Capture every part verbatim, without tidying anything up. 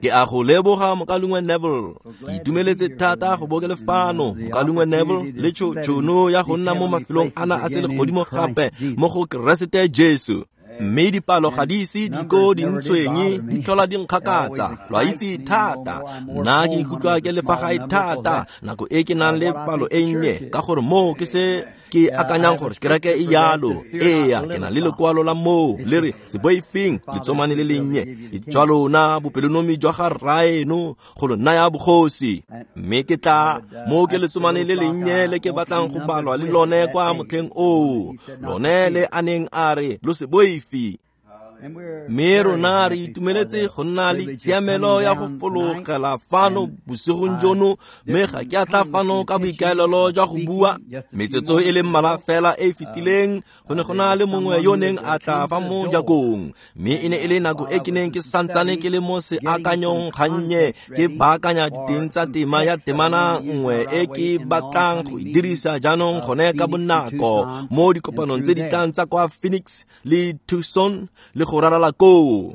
Ke a go leboga mokalungwe Neville. Ke itumeletse thata go bo ke le fano mokalungwe Neville le tšhono ya go nna mo mafelong ana a selegodimo gape mo go Keresete Jesu. Mme dipalo ga di ise di ko di ntshwenye, di tlhola di nkgakatsa. Lo a itse thata, nna ke ikutlwa ke le fa gae thata nako e ke nang le palo e nnye, ka gore moo ke se ke akanyang gore kereke e yalo. Eya, ke na le lekwalo la moo le re se boifeng letsomane le lennye, jwa lona bopelonomi jwa ga rraeno go lo naya bogosi. Mme ke tla mo ke letsomane le lennye le ke batlang go balwa le lone kwa motlheng oo, lone le a neng a re lo se boife. Mme rona re itumeletse go nna le tshiamelo ya go fologela fano bosigong jono, mme ga ke a tla fano ka boikaelelo jwa go bua. Metsotso e le mmalwa fela e e fetileng go ne go na le mongwe yo neng a tla fa mo jakong, mme e ne e le nako e ke neng ke santsane ke le mo seakanyong gannye ke baakanya diteng tsa tema ya temana nngwe e ke batlang go e dirisa jaanong gone ka bonako mo dikopanong tse di tlang tsa kwa Phoenix le Tucson le go rarala koo.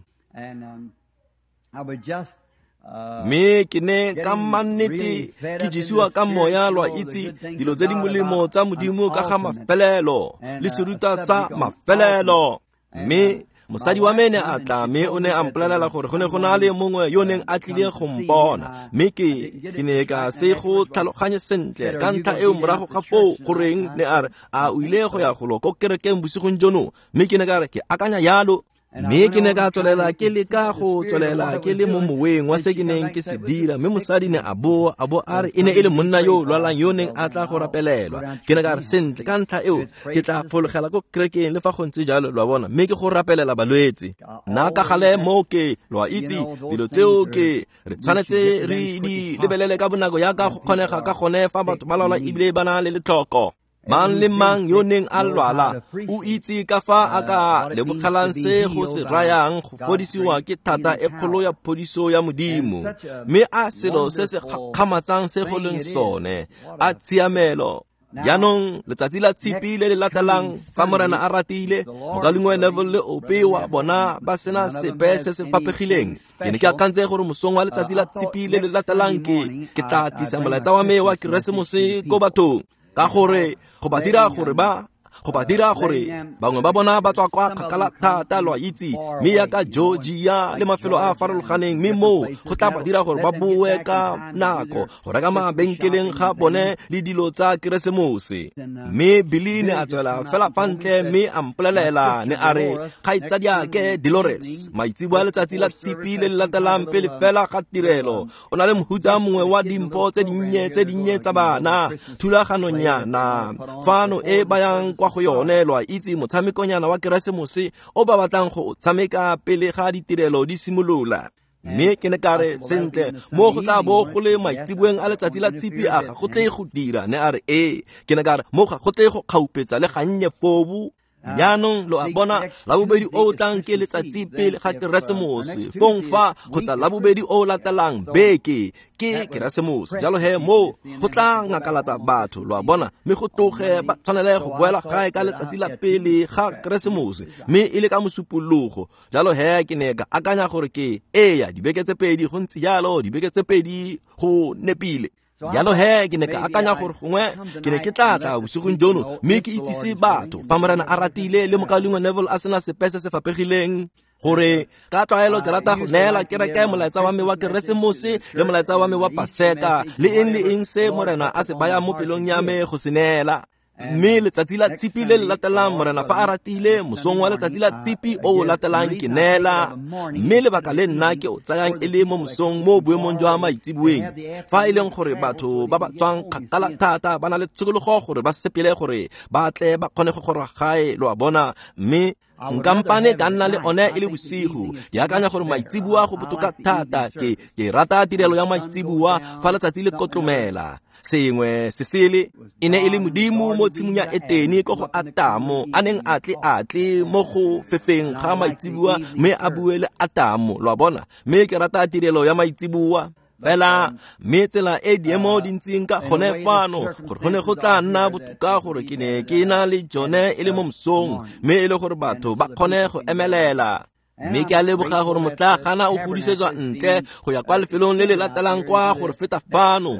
Mme ke ne ka mannete ke jesiwa ka moya, lo a itse, dilo tse di molemo tsa Modimo ka ga mafelelo le seruta sa mafelelo. Mme mosadi wa me ne a tla mme o ne a mpolelela gore go ne go na le mongwe yo neng a tlile go mpona, mme ke ke ne ka se go tlhaloganye sentle ka ntlha eo morago ga foo goreng ne a re a o ile go ya golo ko kerekeng bosigong jono, mme ke ne ka re ke akanya yalo. Mme ke ne ka tswelela ke leka go tswelela ke le mo moweng wa se ke neng ke se dira, mme mosadi ne a boa a bo a re e ne e le monna yo lwalang yo neng a tla go rapelelwa. Ke ne ka re sentle ka ntlha eo ke tla fologela ko kerekeng le fa go ntse jalo, lo a bona, mme ke go rapelela balwetse. Nna ka gale mo ke, lo a itse, dilo tseo ke re tshwanetse re di lebelele ka bonako yaka go kgonega ka gone fa batho ba lwala ebile ba na le letlhoko. Mang le mang yo neng a lwala o itse ka fa a ka lebogelang se go se rayang go fodisiwa ke thata e kgolo ya phodiso ya Modimo. Mme a selo se se gakgamatsang se go leng sone, a tshiamelo. Jaanong letsatsi la tshipi le le latelang fa Morena a ratile, mokalungwe Neville le ope wa bona ba sena sepe se se fapegileng. Ke ne ke akantse gore mosong wa letsatsi la tshipi le le latelang ke ke tla tlisa molaetsa wa me wa Keresemose ko bathong, ka gore go ba dira gore ba go ba dira gore bangwe ba bona ba tswa kwa kgakala thata, lo a itse, mme yaka Georgia le mafelo a a farologaneng, mme moo go tla ba dira gore ba boe ka nako go reka mabenkeleng ga bone le dilo tsa Keresemose. Mme Billy ne a tswela fela fa ntle mme a mpolelela ne a re kgaitsadiake Dolores maitseboa letsatsi la tshipi le le latelang pele fela ga tirelo o na le mohuta mongwe wa dimpho tse dinnye tse dinnye tsa bana, thulaganonyana fano e bayang kwa go yone, lo a itse, motshamekonyana wa Keresemose o ba batlang go tshameka pele ga ditirelo di simolola. Mme ke ne ka re sentle mo go tla bo go le maitseboeng a letsatsi la tshipi a ga go tle go dira, ne a re ee. Ke ne ka re mo ga go tle go kgaupetsa le gannye fobu. Jaanong lo a bona, labobedi o tlang ke letsatsi pele ga Keresemose, fong fa kgotsa labobedi o latelang beke ke Keresemose. Jalo he mo go tla ngakalatsa batho, lo a bona, mme go tloge ba tshwanele go boela gae ka letsatsi la pele ga Keresemose, mme e le ka mosupologo. Jalo he ke ne ka akanya gore ke eya dibeke tse pedi go ntse jalo, dibeke tse pedi go nepile. Jalo he ke ne ka akanya gore gongwe ke ne ke tla tla bosigong jono mme ke itsise batho fa Morena a ratile le mokalungwe Neville a sena sepe se se fapegileng, gore ka tlwaelo ke rata go neela kereke molaetsa wa me wa Keresemose le molaetsa wa me wa Paseka le eng le eng se Morena a se bayang mo pelong ya me go se neela. Mme letsatsi la tshipi le le latelang Morena fa a ratile, mosong wa letsatsi la tshipi o o latelang ke neela. Mme lebaka le nna ke o tsayang e le mo mosong mo boemong jwa maitseboeng, fa e leng gore batho ba ba tswang kgakala thata ba na le tshokologo gore ba sepele gore ba tle ba kgone go goroga gae, lo a bona. Mme nkampane ka nna le one e le bosigo, ke akanya gore maitseboa go botoka thata. Ke ke rata tirelo ya maitseboa fa letsatsi le kotlomela. Sengwe se sele e ne e le Modimo mo tshimong ya Etene ko go Atamo a neng a tle a tle mo go fefeng ga maitseboa mme a bue le Atamo, lo a bona. Mme ke rata tirelo ya maitseboa fela, mme tsela e diemo di ntseng ka gone fano gore go ne go tla nna botoka gore ke ne ke na le jone e le mo mosong, mme e le gore batho ba kgone go emelela. Mme ke a leboga gore motlagana o godisetswa ntle go ya kwa lefelong le le latelang kwa gore feta fano.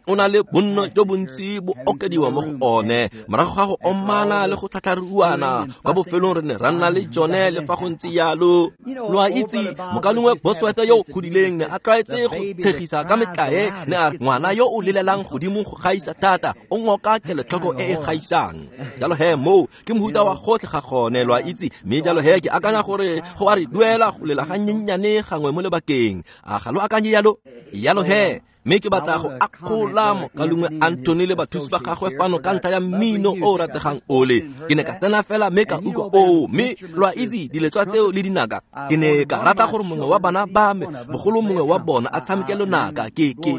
O na le bonno jo bontsi bo okediwa mo go one morago ga go omana le go tlhatlharuana. Kwa bofelong re ne ra nna le jone le fa go ntse jalo. Lo a itse mokalengwe Bosworth yo o godileng ne a tlwaetse go tshegisa ka metlae, ne a re ngwana yo o lelelang godimo go gaisa thata o ngoka kelotlhoko e e gaisang. Jalo he moo ke mohuta wa gotlhe ga gone, lo a itse. Mme jalo he ke akanya gore go a re duela go lela ga nyenyane gangwe mo lebakeng. A ga lo akanye yalo? Yalo he, mme ke batla go akgola mokalengwe Anthony le bathusi ba gagwe fano ka ntlha ya mmino o o rategang ole. Ke ne ka tsena fela mme ka utlwa oo, mme lo a itse diletswa tseo le dinaka. Ke ne ka rata gore mongwe wa bana ba me, bogolo mongwe wa bona, a tshameke lonaka ke ke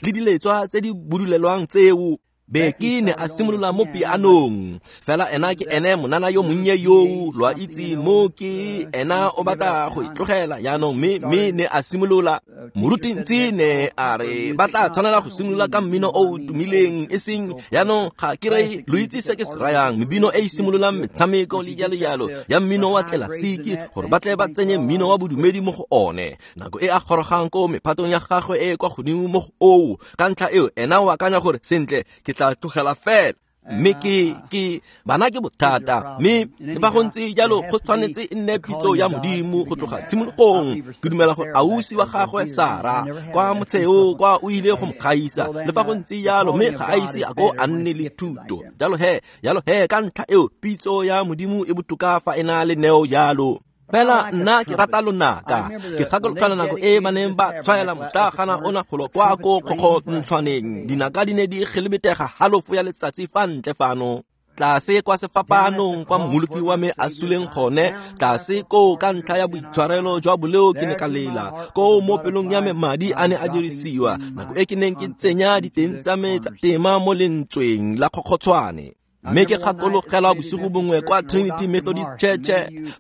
le diletswa tse di budulelwang tseo. Beki ne a simolola mo pianong. Fela ena ke ene monana yo monnye yoo, lo a itse mo ke ena o batla go itlogela jaanong, mme mme ne a simolola. Morutintsi ne a re ba tla tshwanela go simolola ka mmino o o tumileng, e seng jaanong ga ke re lo itse se ke se rayang, mebino e e simololang metshameko le jalo jalo ya mmino wa tlelasiki, gore ba tle ba tsenye mmino wa bodumedi mo go one. Nako e a gorogang ko mephatong ya gagwe e e kwa godimo mo go oo, ka ntlha eo ena o akanya gore sentle ke tla tlogela fela. Mme ke ke bana ke bothata, mme le fa go ntse jalo go tshwanetse e nne pitso ya Modimo go tloga tshimologong. Ke dumela gore ausi wa gagwe Sara kwa motsheo kwa o ile go mo gaisa, le fa go ntse jalo mme ga a ise a ko a nne le thuto. Jalo he, jalo he ka ntlha eo pitso ya Modimo e botoka fa e na le neo jalo. Fela nna ke rata lonaka. Ke gakologelwa nako e ba neng ba tshwaela motlagana ona golo kwa ko kgokgontshwaneng. Dinaka di ne di gelebetega halofo ya letsatsi fa ntle fano. Tlase kwa sefapanong kwa mmoloki wa me a suleng gone, tlase koo ka ntlha ya boitshwarelo jwa boleo ke ne ka lela. Koo mo pelong ya me madi a ne a dirisiwa, nako e ke neng ke tsenya diteng tsa me tsa tema mo lentsweng la kgokgotshwane. Mme ke gakologelwa bosigo bongwe kwa Trinity Methodist Church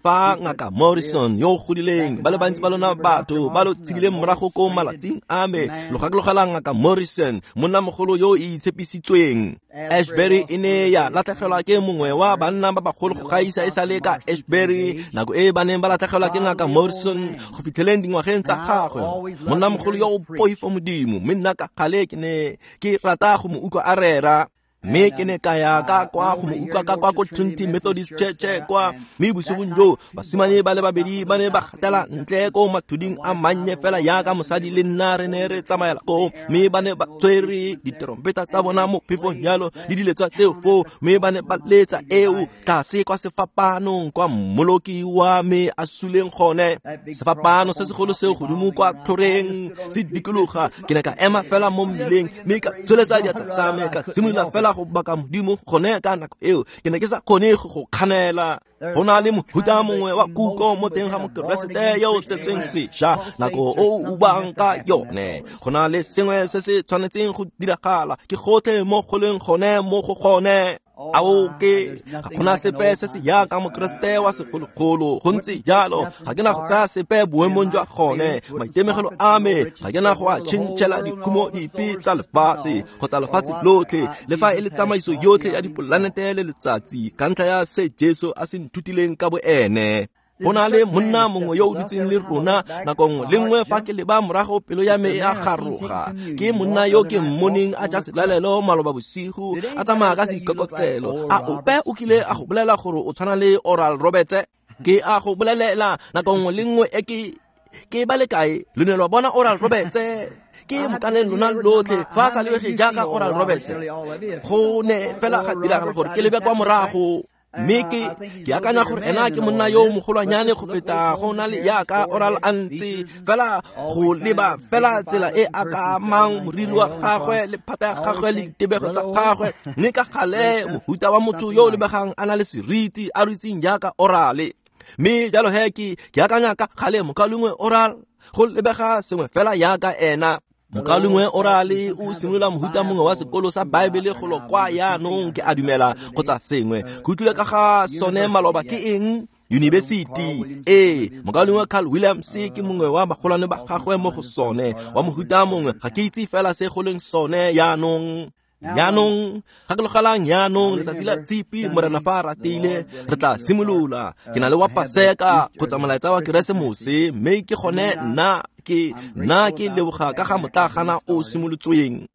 fa ngaka Morrison yo o godileng, ba le bantsi ba lona batho ba lo tshedileng morago ko malatsing a me, lo gakologela ngaka Morrison, monnamogolo yo o itshepisitsweng. Ashbury e ne ya latlhegelwa ke mongwe wa banna ba bagolo go gaisa e sale ka Ashbury, nako e ba neng ba latlhegelwa ke ngaka Morrison go fitlheleng dingwageng tsa gagwe. Monnamogolo yo o poifo Modimo, mme nna ka gale ke ne ke rata go mo utlwa a rera. Mme ke ne ka ya ka kwa go mo utlwa ka kwa ko Trinity Methodist Church kwa. Mme bosigong joo basimane ba le babedi ba ne ba gatela ntle ko mathuding a mannye fela yaka mosadi le nna re ne re tsamaela koo, mme ba ne ba tshwere diterompeta tsa bona mo phefong jalo le diletswa tseo foo, mme ba ne ba letsa eo tlase kwa sefapanong kwa mmoloki wa me a suleng gone. Sefapano se segolo seo godimo kwa tlhoreng se dikologa. Ke ne ka ema fela mo mmileng mme ka tsholetsa diatla tsa me ka simolola fela go baka Modimo gone ka nako eo. Ke ne ke sa kgone go kganela. Go na le mohuta mongwe wa kutlo mo teng ga Mokeresete yo o tsetsweng sešwa nako o ubang ka yone. Go na le sengwe se se tshwanetseng go diragala, ke gotlhe mo go leng gone mo go gone. Ao ke ga gona sepe se se yaka Mokeresete wa segologolo, go ntse jalo ga ke na go tsaya sepe boemong jwa gone. Maitemegelo a me ga ke na go a tšhentšhela dikhumo dipe tsa lefatshe kgotsa lefatshe lotlhe, le fa e le tsamaiso yotlhe ya dipolanete le letsatsi, ka ntlha ya se Jesu a se nthutileng ka boene. Go na le monna mongwe yo o dutseng le rona nako nngwe le nngwe fa ke leba morago pelo ya me e a garoga. Ke monna yo ke mmoneng a ja selalelo maloba bosigo, a tsamaya ka seikokotlelo. A ope o kile a go bolela gore o tshwana le Oral Roberts? Ke a go bolelela nako nngwe le nngwe e ke ke ba le kae lo ne lwa bona Oral Roberts? Ke mokaneng lona lotlhe fa a sa lebege jaaka Oral Roberts. Go ne fela ga diragala gore ke lebe kwa morago. Mme ke ke akanya gore ena ke monna yo mogolwanyane go feta go na le yaka Oral a ntse fela go leba fela tsela e a ka amang moriri wa gagwe le phata ya gagwe le ditebego tsa gagwe, mme ka gale mohuta wa motho yo o lebegang a na le seriti a rutseng jaaka Oral. Mme jalo he ke ke akanya ka gale mokalengwe Oral go lebega sengwe fela yaka ena. Mokalengwe Oral o simolola mohuta mongwe wa sekolo sa Baebele golo kwa yaanong, ke a dumela kgotsa sengwe. Ke utlwile ka ga sone maloba, ke eng? University. Ee, mokalengwe Carl Williams ke mongwe wa bagolwane ba gagwe mo go sone, wa mohuta mongwe, ga ke itse fela se go leng sone yaanong. Jaanong gakologelang jaanong letsatsi la Tshipi Morena fa a ratile re tla simolola. Ke na le wa Paseka kgotsa molaetsa wa Keresemose, mme ke gone nna ke nna ke leboga ka ga motlagana o simolotsweng.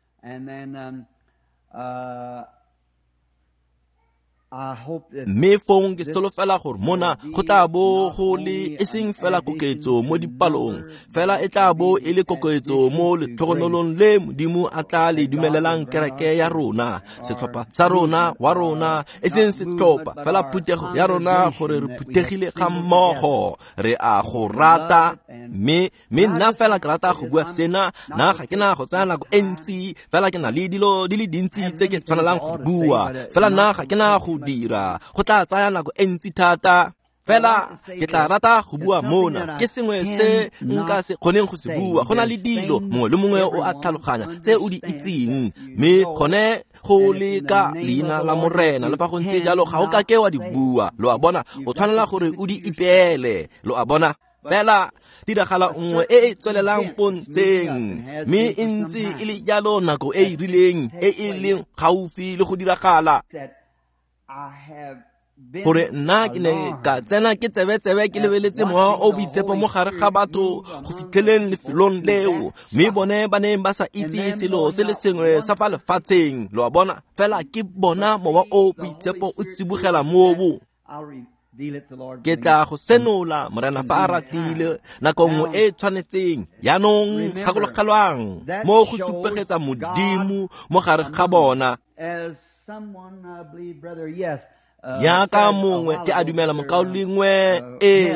Mme fong ke solofela gore mona go tla bo go le e seng fela koketso mo dipalong, fela e tla bo e le koketso mo letlhogonolong le Modimo a tla le dumelelang kereke ya rona, setlhopha sa rona wa rona, e seng setlhopha fela phuthego ya rona, gore re phuthegile ga mmogo, re a go rata. Mme mme nna fela ke rata go bua sena, nna ga ke na go tsaya nako e ntsi, fela ke na le dilo di le dintsi tse ke tshwanelang go bua, fela nna ga ke na go dira go tla tsaya nako e ntsi thata. Fela ke tla rata go bua mona ke sengwe se nka se kgoneng go se bua. Go na le dilo mongwe le mongwe o a tlhaloganya tse o di itseng, mme gone go le ka leina la Morena, le fa go ntse jalo ga o ka ke wa di bua. Lo a bona, o tshwanela gore o di ipeele. Lo a bona, fela tiragalo nngwe e e tswelelang pontsheng, mme e ntse e le jalo nako e e rileng e e leng gaufi le go diragala, gore nna ke ne ka tsena ke tsebe-tsebe ke lebeletse mowa o boitshepo mo gare ga batho go fitlheleng lefelong leo, mme bone ba neng ba sa itse selo se le sengwe sa fa lefatsheng. Lo a bona, fela ke bona mowa o boitshepo o tsibogela moo. Ke tla go senola Morena fa a ratile nako nngwe e e tshwanetseng. Jaanong gakologelwang mo go supegetsa Modimo mo gare ga bona. Jaaka mongwe ke a dumela mokaulengwe e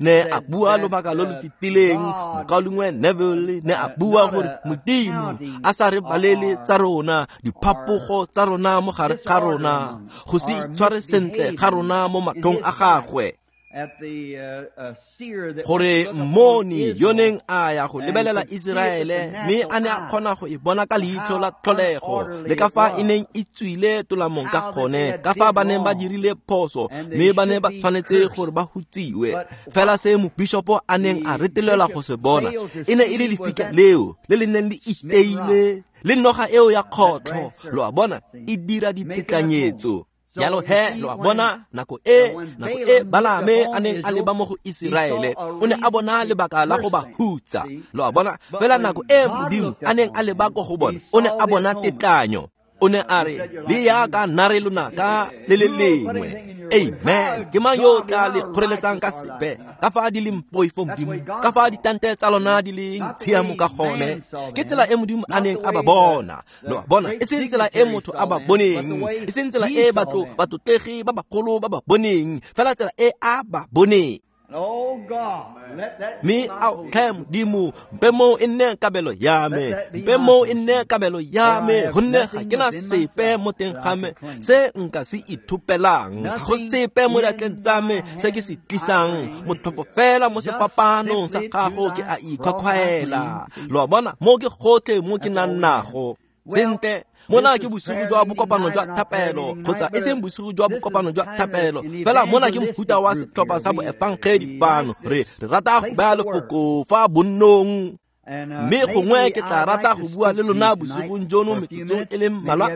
ne a bua lobaka lo lo fetileng, mokaulengwe Neville ne a bua gore Modimo a sa re balele tsa rona, diphapogo tsa rona mo gare ga rona, go se itshware sentle ga rona mo matlhong a gagwe, gore mmoni yo neng a ya go lebelela Iseraele mme a ne a kgona go e bona ka leitlho la tlholego, le ka fa e neng e tswile tolamong ka gone, ka fa ba neng ba dirile phoso mme ba ne ba tshwanetse gore ba hutsiwe. Fela se mobishopo a neng a retelelwa go se bona e ne e le lefika leo le le neng le iteile le noga eo ya kgotlho. Lo a bona, e dira ditetlanyetso. Jalo he, lo a bona, nako e nako e Balaame a neng a leba mo go Iseraele, o ne a bona lebaka la go ba hutsa. Lo a bona, fela nako e Modimo a neng a leba ko go bona, o ne a bona tetlanyo. O ne a re, le yaka nna re lonaka le le lengwe. Amen. Ke mang yo o tla le kgoreletsang ka sepe? Ka fa di leng poifo Modimo, ka fa ditante tsa lona di leng tshiamo ka gone. Ke tsela e Modimo a neng a ba bona. Lo a bona, e seng tsela e motho a ba boneng, e seng tsela e batho batlotlegi ba bagolo ba ba boneng, fela tsela e a ba boneng. Mme ao tlhe Modimo, mpe moo e nne kabelo ya me, mpe moo e nne kabelo ya me, gonne ga ke na sepe mo teng ga me se nka se ithopelang, ga go sepe mo diatleng tsa me se ke se tlisang, motlhofo fela mo sefapanong sa gago ke a ikhwakhwaela. Lo a bona, mo ke gotlhe mo ke nang nago. Sentle, mona ke bosigo jwa bokopano jwa thapelo, kgotsa e seng bosigo jwa bokopano jwa thapelo, fela mona ke mohuta wa setlhopha sa boefangedi fano. Re re rata go baya lefoko fa bonnong, mme gongwe ke tla rata go bua le lona bosigong jono metsotso e le mmalwa.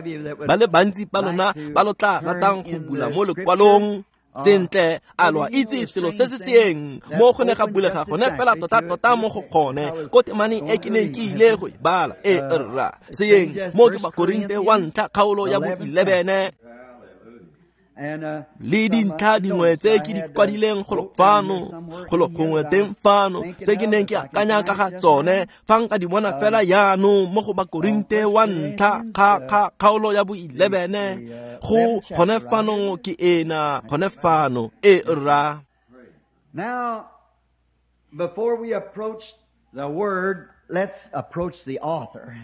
Ba le bantsi ba lona ba lo tla ratang go bula mo lekwalong. Sentle, a lo a itse selo se se seeng mo go ne ga bulega gone fela tota-tota mo go gone ko temaneng e ke neng ke ile go e bala. E rra seeng mo ke Bakorinte wa ntlha kgaolo ya bo eleven le dintlha dingwe tse ke di kwadileng golo fano, golo gongwe teng fano, tse ke neng ke akanya ka ga tsone fa nka di bona fela jaanong mo go Bakorinte wa ntlha kgaolo ya bo eleven go gone fano ke ena gone fano. E rra. Now, before we approach the word, let's approach the author.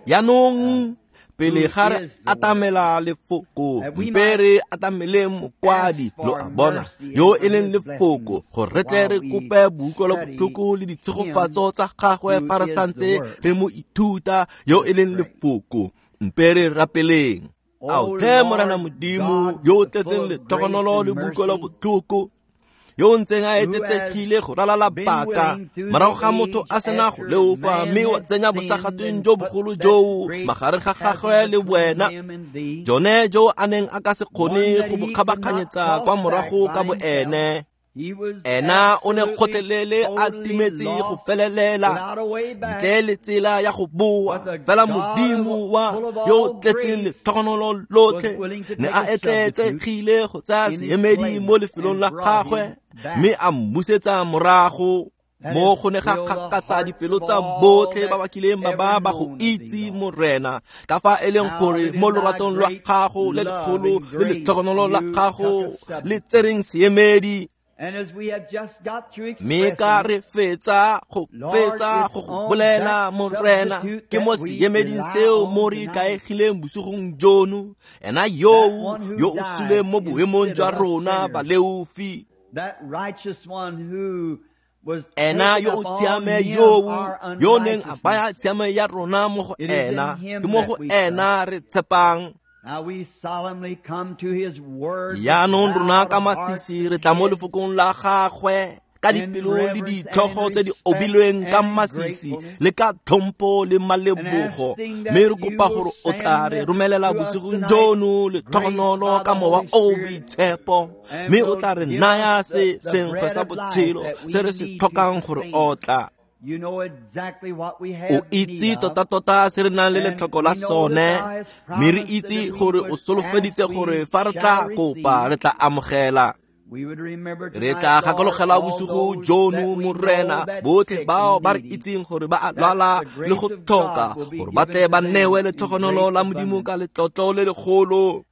Jaanong pele ga re atamela lefoko, mpe re atamele mokwadi. Lo a bona, yo e leng lefoko, gore re tle re kope boutlwelobotlhoko le ditshegofatso tsa gagwe fa re santse re mo ithuta, yo e leng lefoko. Mpe re rapeleng. Ao tlhe Morena Modimo yo o tletseng letlhogonolo le boutlwelobotlhoko, yo o ntseng a etetsegile go ralala paka morago ga motho a sena go leofa mme wa tsenya bosagatweng jo bogolo joo magareng ga gagwe le wena, jone jo a neng a ka se kgone go bo kgabaganyetsa kwa morago ka boene. Ena o ne kgotlelele a timetse go felelela ntle le tsela ya go boa, fela Modimo wa yo tletseng letlhogonolo lotlhe ne a etleetsegile go tsaya seemedi mo lefelong la gagwe mme a mmusetsa morago. Mo go ne ga kgakatsa dipelo tsa botlhe ba ba kileng ba ba ba go itse Morena, ka fa e leng gore mo loratong lwa gago le legolo le letlhogonolo la gago le tsereng seemedi. Mme ka re fetsa go fetsa go go bolela Morena, ke mo seemeding seo mo re ikaegileng bosigong jono, ena yoo yo o suleng mo boemong jwa rona baleofi, ena yo o tshiame yoo yo neng a baya tshiamo ya rona mo go ena, ke mo go ena re tshepang. Jaanong rona ka masisi re tla mo lefokong la gagwe ka dipelo le ditlhogo tse di obilweng ka masisi le ka tlhompho le malebogo, mme re kopa gore o tla re romelela bosigong jono letlhogonolo ka mowa o boitshepo, mme o tla re naya se senkgwe sa botshelo se re se tlhokang gore otla. O itse tota-tota se re nang le letlhoko la sone, mme re itse gore o solofeditse gore fa re tla kopa re tla amogela. Re tla gakologela bosigo jono Morena botlhe bao ba re itseng gore ba a lwala le go tlhoka, gore ba tle ba newe letlhogonolo la Modimo ka letlotlo le legolo.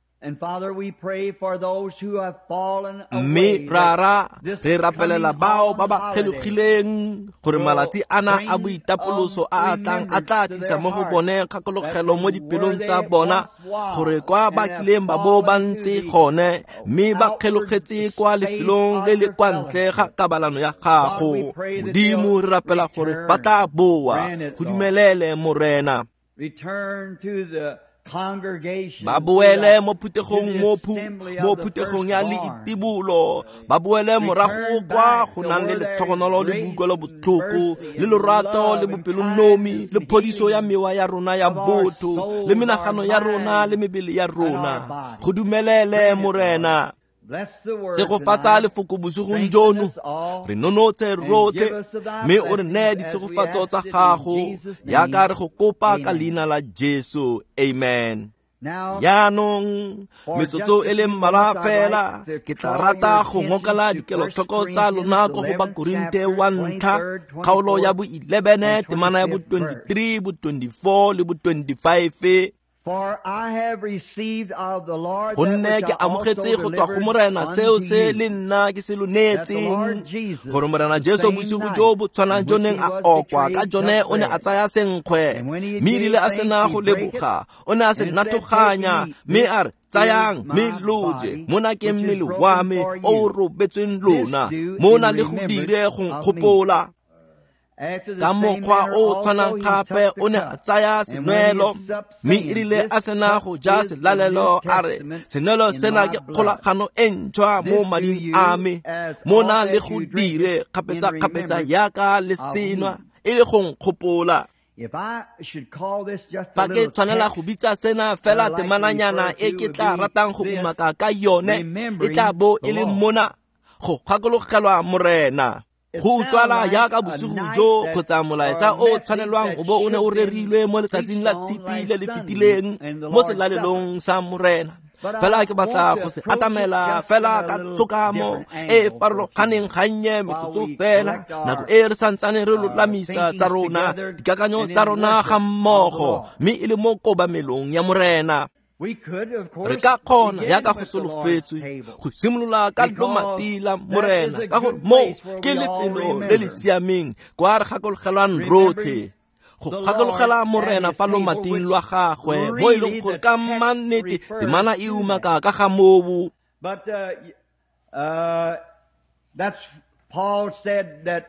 Mme rara re rapelela bao ba ba kgelogileng gore malatsi ana a boitapoloso a a tlang a tla tlisa mo go bone kgakologelo mo dipelong tsa bona, gore kwa ba kileng ba bo ba ntse gone mme ba kgelogetse kwa lefelong le le kwa ntle ga kabalano ya gago. Modimo re rapela gore ba tla boa, go dumelele Morena. Ba boele mo phuthegong mo mo phuthegong ya leitibolo, ba boele morago kwa go nang le letlhogonolo le boikuelo botlhoko le lorato le bopelonomi le phodiso ya mewa ya rona ya botho le menagano ya rona le mebele ya rona. Go dumelele Morena. Tshegofatsa lefoko bosigong jono, re nonotse rotlhe mme o re neye ditshegofatso tsa gago yaka re go kopa ka leina la Jesu. Amen. Jaanong metsotso e le mmalwa fela ke tla rata go ngokela dikelotlhoko tsa lona ko go Bakorinte wa ntlha kgaolo ya bo eleven temana ya bo twenty-three, bo twenty-four le bo twenty-five. Gonne ke amogetse go tswa go Morena seo se le nna ke se lo neetseng, gore Morena Jesu bosigo jo bo tshwanang jo neng a okwa ka jone o ne a tsaya senkgwe, mme erile a sena go leboga o ne a se nathoganya mme a re, tsayang mme lo je, mona ke mmele wa me o o robetsweng lona, mona le go dire go nkgopola. Ka mokgwa o tshwanang gape o ne a tsaya senwelo, mme erile a sena go ja selalelo a re, senwelo sena ke kgolagano e ntšhwa mo mading a me, mona le go dire kgapetsa-kgapetsa yaka le senwa e le go nkgopola. Fa ke tshwanela go bitsa sena fela temananyana e ke tla ratang go umaka ka yone, e tla bo e le mona go gakologelwa Morena. Go utlwala yaka bosigo jo kgotsa molaetsa o tshwanelwang o bo o ne o rerilwe mo letsatsing la tshipi le le fetileng mo selalelong sa Morena. Fela ke batla go se atamela fela ka tshokamo e e farologaneng gannye metsotso fela, nako e re santsane re lolamisa tsa rona dikakanyo tsa rona ga mmogo, mme e le mo kobamelong ya Morena. Re ka kgona yaka go solofetswe go simolola ka lomati la Morena, ka gore mo ke lefelo le le siameng kwa re gakologelwang rotlhe go gakologela Morena fa lomating lwa gagwe, mo e leng gore ka mannete temana e umaka ka ga moo. But uh, uh, that's Paul said that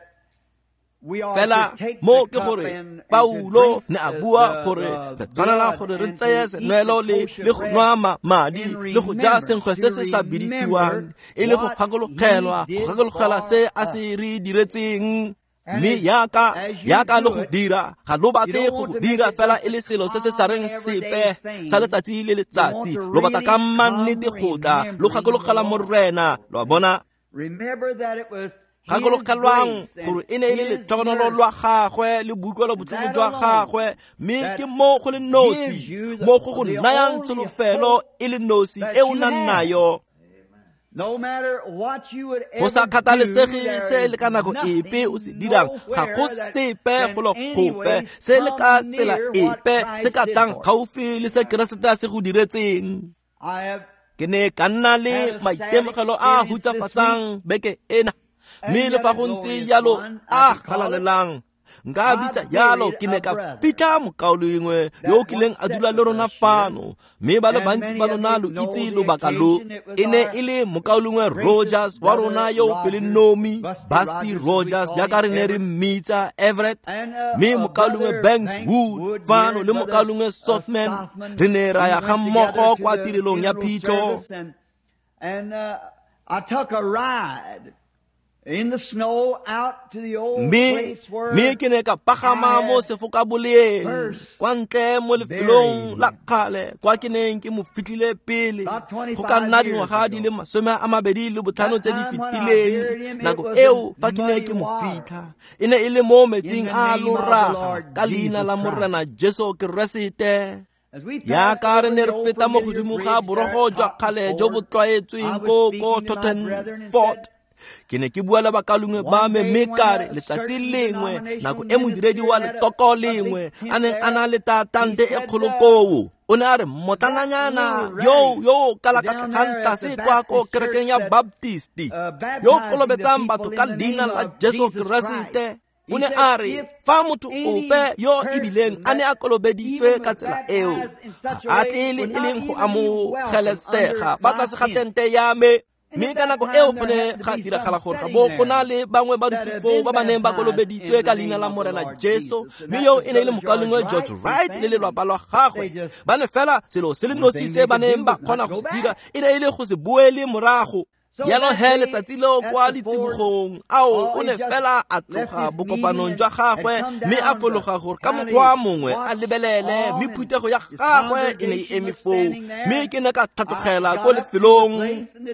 Fela mo ke gore Paulo ne a bua gore re tshwanela gore re tseye senwelo le le go nwa madi le go ja senkgwe se se sa bidisiwang e le go gakologelwa go gakologela se a se re diretseng. Mme yaka yaka le go dira ga lo batle go go dira fela e le selo se se sa reng sepe sa letsatsi le letsatsi, lo batla ka mannete go tla lo gakologela Morena. Lo a bona? Gakologelwang gore e ne e le letlhogonolo lwa gagwe le boikuelo botlhoko jwa gagwe, mme ke mo go le nosi mo go go nayang tsholofelo e le nosi e o nang nayo. Go sa kgathalesege se le ka nako epe o se dirang, ga go sepe go lo gope se le ka tsela epe se ka tlang gaufi le se Keresete a se go diretseng. Ke ne ka nna le maitemogelo a hutsafatsang beke ena, mme le fa go ntse jalo a galalelang nka bitsa jalo. Ke ne ka fitlha mokaulengwe yo o kileng a dula le rona fano, mme ba le bantsi ba lona lo itse lobaka lo. E ne e le mokaulengwe Rogers wa rona yo o pelonomi, Busty Rogers jaaka re ne re mmitsa, Everett, mme mokaulengwe Banks Wood fano le mokaulengwe Sothman. Re ne ra ya ga mmogo kwa tirelong ya phitlho. I took a ride in the snow out to the old mme place where mme ke ne ka pagama mo sefokaboleng kwa ntle mo lefelong la kgale kwa ke neng ke mo fitlhile pele go ka nna dingwaga di le masome a mabedi le botlhano tse di fetileng. Nako eo fa ke ne ke mo fitlha e ne e le mo metsing a loraga ka leina la Morena Jesu Keresete. Yaka re ne re feta mo godimo ga borogo jwa kgale jo bo tlwaetsweng ko ko Totten Fort. Ke ne ke bua le bakalungwe ba me mme ka re letsatsi lengwe nako e modiredi wa letoko lengwe a neng a na le tatante e kgolo koo, o ne a re motlananyana yo yo kalakatlegang tlase kwa ko kerekeng ya Baptist yo kolobetsang batho ka leina la Jesu Keresete. O ne a re fa motho ope yo ebileng a ne a kolobeditswe ka tsela eo ga a tle le e leng go amogelesega fa tlase ga tente ya me. Mme ka nako eo go ne ga diragala gore ga bo go na le bangwe ba dutse foo ba ba neng ba kolobeditswe ka leina la Morena Jesu, mme yo e ne e le mokaulengwe George Wright le lelwapa lwa gagwe. Ba ne fela selo se le nosi se ba neng ba kgona go se dira e ne e le go se boele morago. Jalo he letsatsi leo kwa letsibogong ao o ne fela a tloga bokopanong jwa gagwe mme a fologa gore ka mokgwa mongwe a lebelele, mme phuthego ya gagwe e ne e eme foo. Mme ke ne ka tlhatlogela ko lefelong,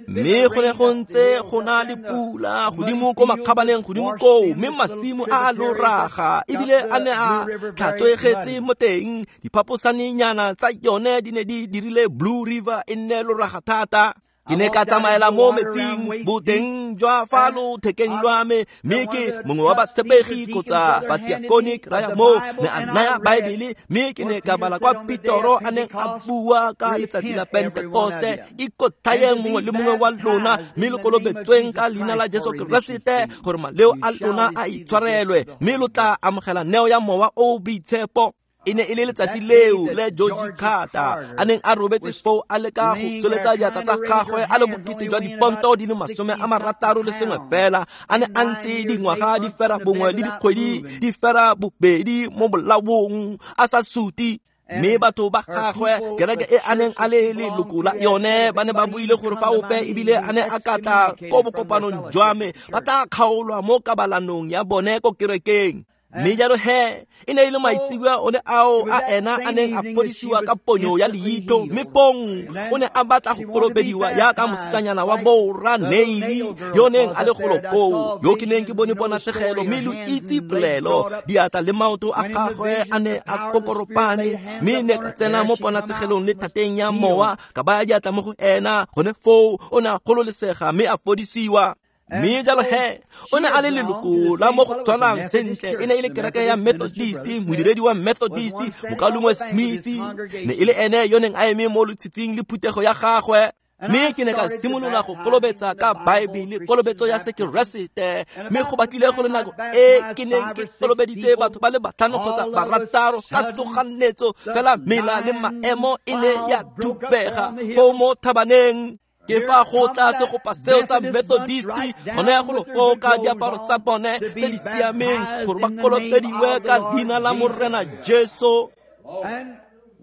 mme go ne go ntse go na le pula godimo ko makgabaneng godimo koo, mme masimo a loraga ebile a ne a tlhatswegetse mo teng. Diphaposanenyana tsa yone di ne di dirile Blue River e nne loraga thata. Ke ne ka tsamaela mo metsing boteng jwa fa lothekeng lwa me, mme ke mongwe wa batshepegi kgotsa batiakone ke raya moo ne a naya Baebele, mme ke ne ka bala kwa Petoro a neng a bua ka letsatsi la Pentekoste, ikotlhayeng mongwe le mongwe wa lona mme lo kolobetsweng ka leina la Jesu Keresete gore maleo a lona a itshwarelwe, mme lo tla amogela neo ya Mowa o o Boitshepo. E ne e le letsatsi leo le George Carter a neng a robetse foo a leka go tsholetsa diatla tsa gagwe a le bokete jwa diponto di le masome a marataro le sengwe fela, a ne a ntse dingwaga di fera bongwe le dikgwedi di fera bobedi mo bolaong a sa suti. Mme batho ba gagwe kereke e a neng a le leloko la yone ba ne ba buile gore fa ope ebile a ne a ka tla ko bokopanong jwa me ba tla kgaolwa mo kabalanong ya bone ko kerekeng. Mme jalo he e ne e le maitseboa one ao a ena a neng a fodisiwa ka ponyo ya leitho, mme fong o ne a batla go kolobediwa yaka mosetsanyana wa borra Neili yo neng a le golo koo, yo ke neng ke bone ponatshegelo mme lo itse polelo. Diatla le maoto a gagwe a ne a kokoropane, mme ne ka tsena mo ponatshegelong le thateng ya mowa ka baya diatla mo go ena. Gone foo o ne a gololesega mme a fodisiwa. Mme jalo he o ne a le leloko la mo go tshwanang sentle, e ne e le kereke ya Methodist, modiredi wa Methodist mokaulengwe Smith ne e le ene yo neng a eme mo lotshitshing le phuthego ya gagwe. Mme ke ne ka simolola go kolobetsa ka Baebele, kolobetso ya Sekeresete, mme go batlile go le nako e ke neng ke kolobeditse batho ba le batlhano kgotsa barataro ka tsoganetso fela mela le maemo e ne ya thubega foo mo thabaneng. Ke fa go tla segopa seo sa Methodist gone go lo foo ka diaparo tsa bone tse di siameng gore ba kolobediwe ka leina la Morena Jesu.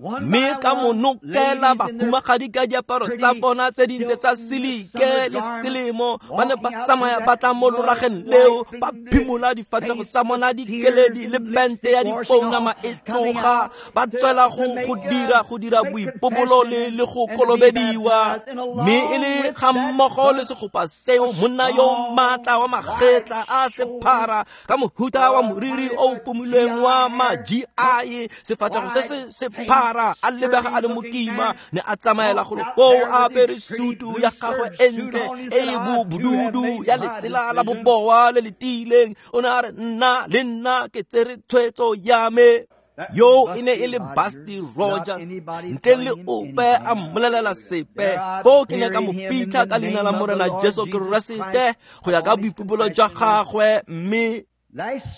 Mme ka monokela bahumagadi ka diaparo tsa bona tse dintle tsa silike le selemo ba ne ba tsamaya ba tla mo lorageng leo ba phimola difatlhego tsa bona dikeledi le bente ya dipounama e tloga ba tswela go go dira go dira boipobolo le le go kolobediwa. Mme e le ga mmogo le segopa seo monna yo maatla wa magetla a sephara ka mohuta wa moriri o pomilweng wa ma G I sefatlhego se se sephara a lebega a le mokima ne a tsamaela go foo a apere sutu ya gagwe e ntle e e bobududu ya letsela la boboa le le tiileng. O ne a re nna le nna ke tsere tshwetso ya me. Yo e ne e le Busty Rogers ntle le ope a mmolelela sepe. Foo ke ne ka mo fitlha ka leina la Morena Jesu Keresete go ya ka boipobolo jwa gagwe. Mme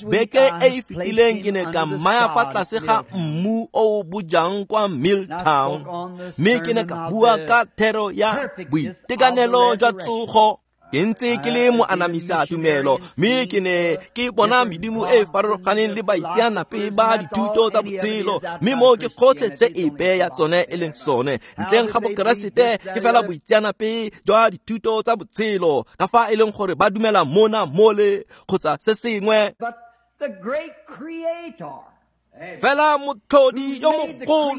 beke e e fetileng ke ne ka mmaya fa tlase ga mmu o o bojang kwa Milltown, mme ke ne ka bua ka thero ya boitekanelo jwa tsogo. Ke ntse ke le moanamisa tumelo, mme ke ne ke bona medimo e e farologaneng le baitseanape ba dithuto tsa botshelo, mme mo ke gotlhe se epe ya tsone e leng sone ntleng ga Bokeresete ke fela boitseanape jwa dithuto tsa botshelo ka fa e leng gore ba dumela mona mole kgotsa se sengwe. Fela motlhodi yo mogolo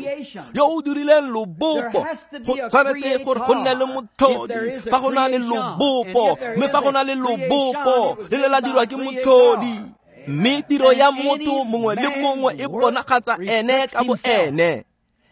yo o dirileng lobopo go tshwanetse gore go nne le motlhodi fa go na le lobopo, mme fa go na le lobopo le le la dirwa ke motlhodi. Mme tiro ya motho mongwe le mongwe e bonagatsa ene ka bo ene.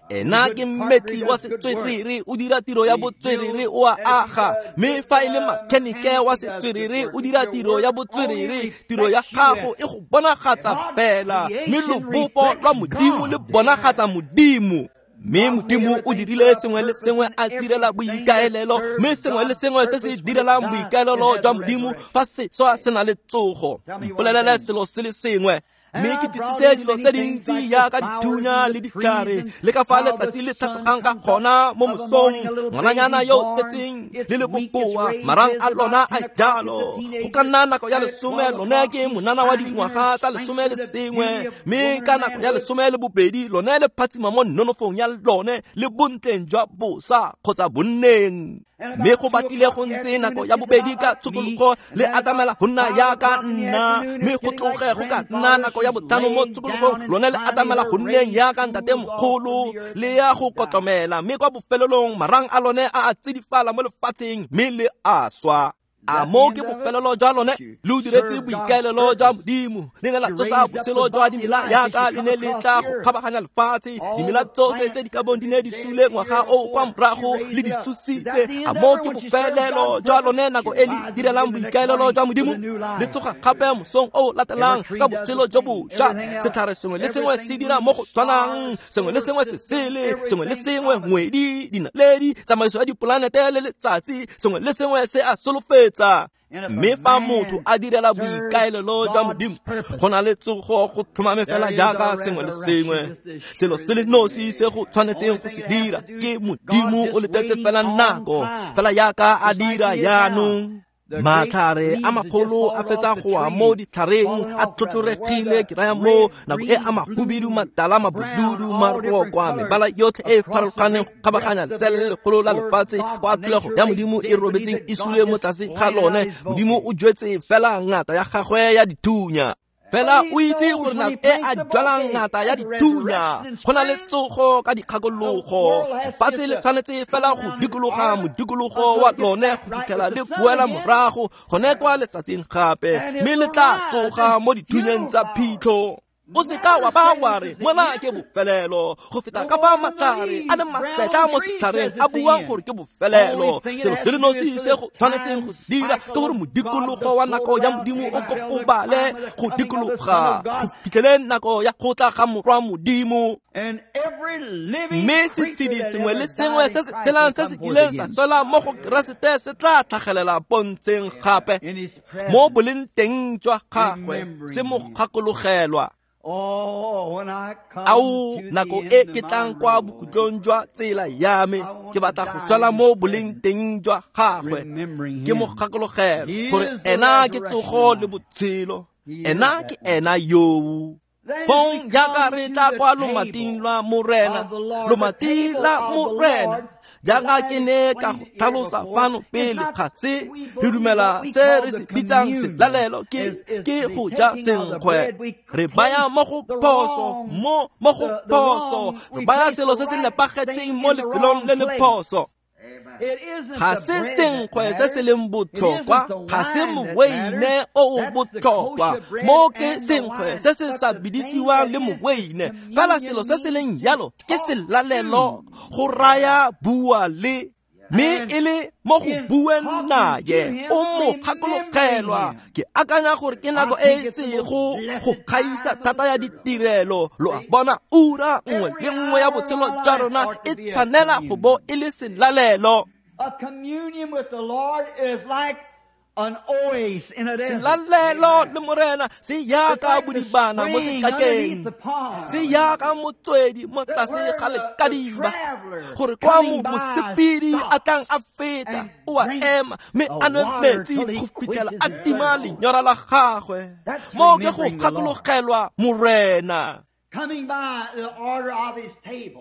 Ena ke mmetli wa setswerere o dira tiro ya botswerere o a aga, mme fa e le makhenike wa setswerere o dira tiro ya botswerere. Tiro ya gago e go bonagatsa fela, mme lobopo lwa Modimo le bonagatsa Modimo. Mme Modimo o dirile sengwe le sengwe a direla boikaelelo, mme sengwe le sengwe se se direlang boikaelelo jwa Modimo fa se swa se na le tsogo. Mpolelele selo se le sengwe. Mme ke tlisitse dilo tse dintsi yaka dithunya le ditlhare le ka fa letsatsi le tlhatlogang ka gona mo mosong. Ngwananyana yo o tsetseng le le bokoa marang a lona a jalo. Go ka nna nako ya lesome lone ke monana wa dingwaga tsa lesome le sengwe, mme ka nako ya lesome le bobedi lone le phatsima mo nonofong ya lone le bontleng jwa bosa kgotsa bonneng. Mme go batlile go ntse nako ya bobedi ka tshokologo le atamela go nna yaka nna, mme go tloge go ka nna nako ya botlhano mo tshokologong lone le atamela go nneng yaka ntatemogolo le ya go kotlomela, mme kwa bofelelong marang a lone a a tsidifala mo lefatsheng mme le a swa. A mo ke bofelelo jwa lone le o diretse boikaelelo jwa Modimo. Le ne la tsosa botshelo jwa dimela yaka le ne le tla go kgabaganya lefatshe. Dimela tsotlhe tse di ka bong di ne di sule ngwaga o kwa morago le di tsositse. A mo ke bofelelo jwa lone nako e le direlang boikaelelo jwa Modimo. Le tsoga gape mosong o latelang ka botshelo jo bošwa. Setlhare sengwe le sengwe se dira mo go tshwanang, sengwe le sengwe se sele, sengwe le sengwe ngwedi, dinaledi, tsamaiso ya dipolanete le letsatsi, sengwe le sengwe se a solofetsa. Mme fa motho a direla boikaelelo jwa Modimo go na le tsogo go tlhomame fela jaaka sengwe le sengwe. Selo se le nosi se go tshwanetseng go se dira ke Modimo o letetse fela nako fela yaka a dira jaanong. Matlhare a magolo a fetsa go wa mo ditlhareng a tlotloregile ke raya mo nako e a mahubidu matala mabududu marokwa mebala yotlhe e e farologaneng go kgabaganya letsele le legolo la lefatshe kwa tlholego ya Modimo e robetseng e sule mo tlase ga lone. Modimo o jwetse fela ngata ya gagwe ya dithunya. Fela o itse gore nako e a jwalang ngata ya dithunya go na le tsogo ka dikgakologo. Lefatshe le tshwanetse fela go dikologa modikologo wa lone go fitlhela le boela morago gone kwa letsatsing gape, mme le tla tsoga mo dithunyeng tsa phitlho. O seka wa ba wa re mona ke bofelelo go feta ka fa matlhare a le masetla mo setlhareng a buang gore ke bofelelo. Selo se le nosi se go tshwanetseng go se dira ke gore modikologo wa nako ya Modimo o kokobale go dikologa go fitlheleng nako ya go tla ga Morwa Modimo. Mme setshedi sengwe le sengwe se se tshelang se se kileng sa swela mo go Keresete se tla tlhagelela pontsheng gape mo boleng teng jwa gagwe se mo gakologelwa. Ao nako e ke tlang kwa bokhutlong jwa tsela ya me, ke batla go swela mo boleng teng jwa gagwe. Ke mo gakologelwa gore ena ke tsogo le botshelo, ena ke ena yoo. Fong jaaka re tla kwa lomating lwa Morena, lomati la Morena, jaaka ke ne ka go tlhalosa fano pele, ga se re dumela se re se bitsang selalelo ke ke go ja senkgwe. Re baya mo go phoso, mo mo go phoso, re baya selo se se nepagetseng mo lefelong le le phoso. Ga se senkgwe se se leng botlhokwa, ga se moweine o o botlhokwa, mo ke senkgwe se se sa bidisiwang le moweine. Fela selo se se leng jalo ke selalelo, go raya bua le, mme e le mo go bueng naye o mo gakologelwa. Ke akanya gore ke nako e e sego go gaisa thata ya ditirelo. Lo a bona, ura nngwe le nngwe ya botshelo jwa rona e tshwanela go bo e le selalelo. Selalelo le Morena se yaka bodibana mo sekakeng, se yaka motswedi mo tlase ga lekadiba, gore kwa mo mosepedi a tlang a feta o a ema mme a nwe metsi go fitlhela a tima lenyora la gagwe. Mo ke go gakologelwa Morena.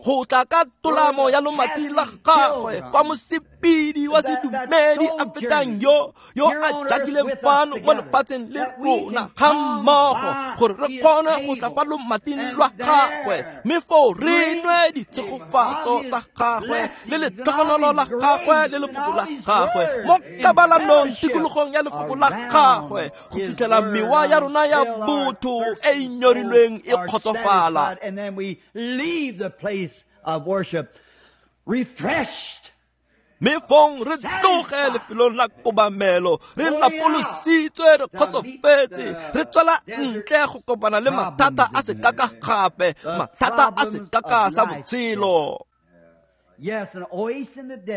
Go tla ka tolamo ya lomati la gagwe kwa mosepedi wa sedumedi a fetang yo yo a jakileng fano mo lefatsheng le rona ga mmogo, gore re kgone go tla fa lomating lwa gagwe, mme foo re nwe ditshegofatso tsa gagwe le letlhogonolo la gagwe le lefoko la gagwe mo kabalanong tikologong ya lefoko la gagwe, go fitlhela mewa ya rona ya botho e e nyorilweng e kgotsofala. And then we leave the place of worship refreshed. Mme fong re tloge lefelong la kobamelo re lapolositswe, re kgotsofetse, re tswela ntle go kopana le mathata a sekaka gape, mathata a sekaka sa botshelo.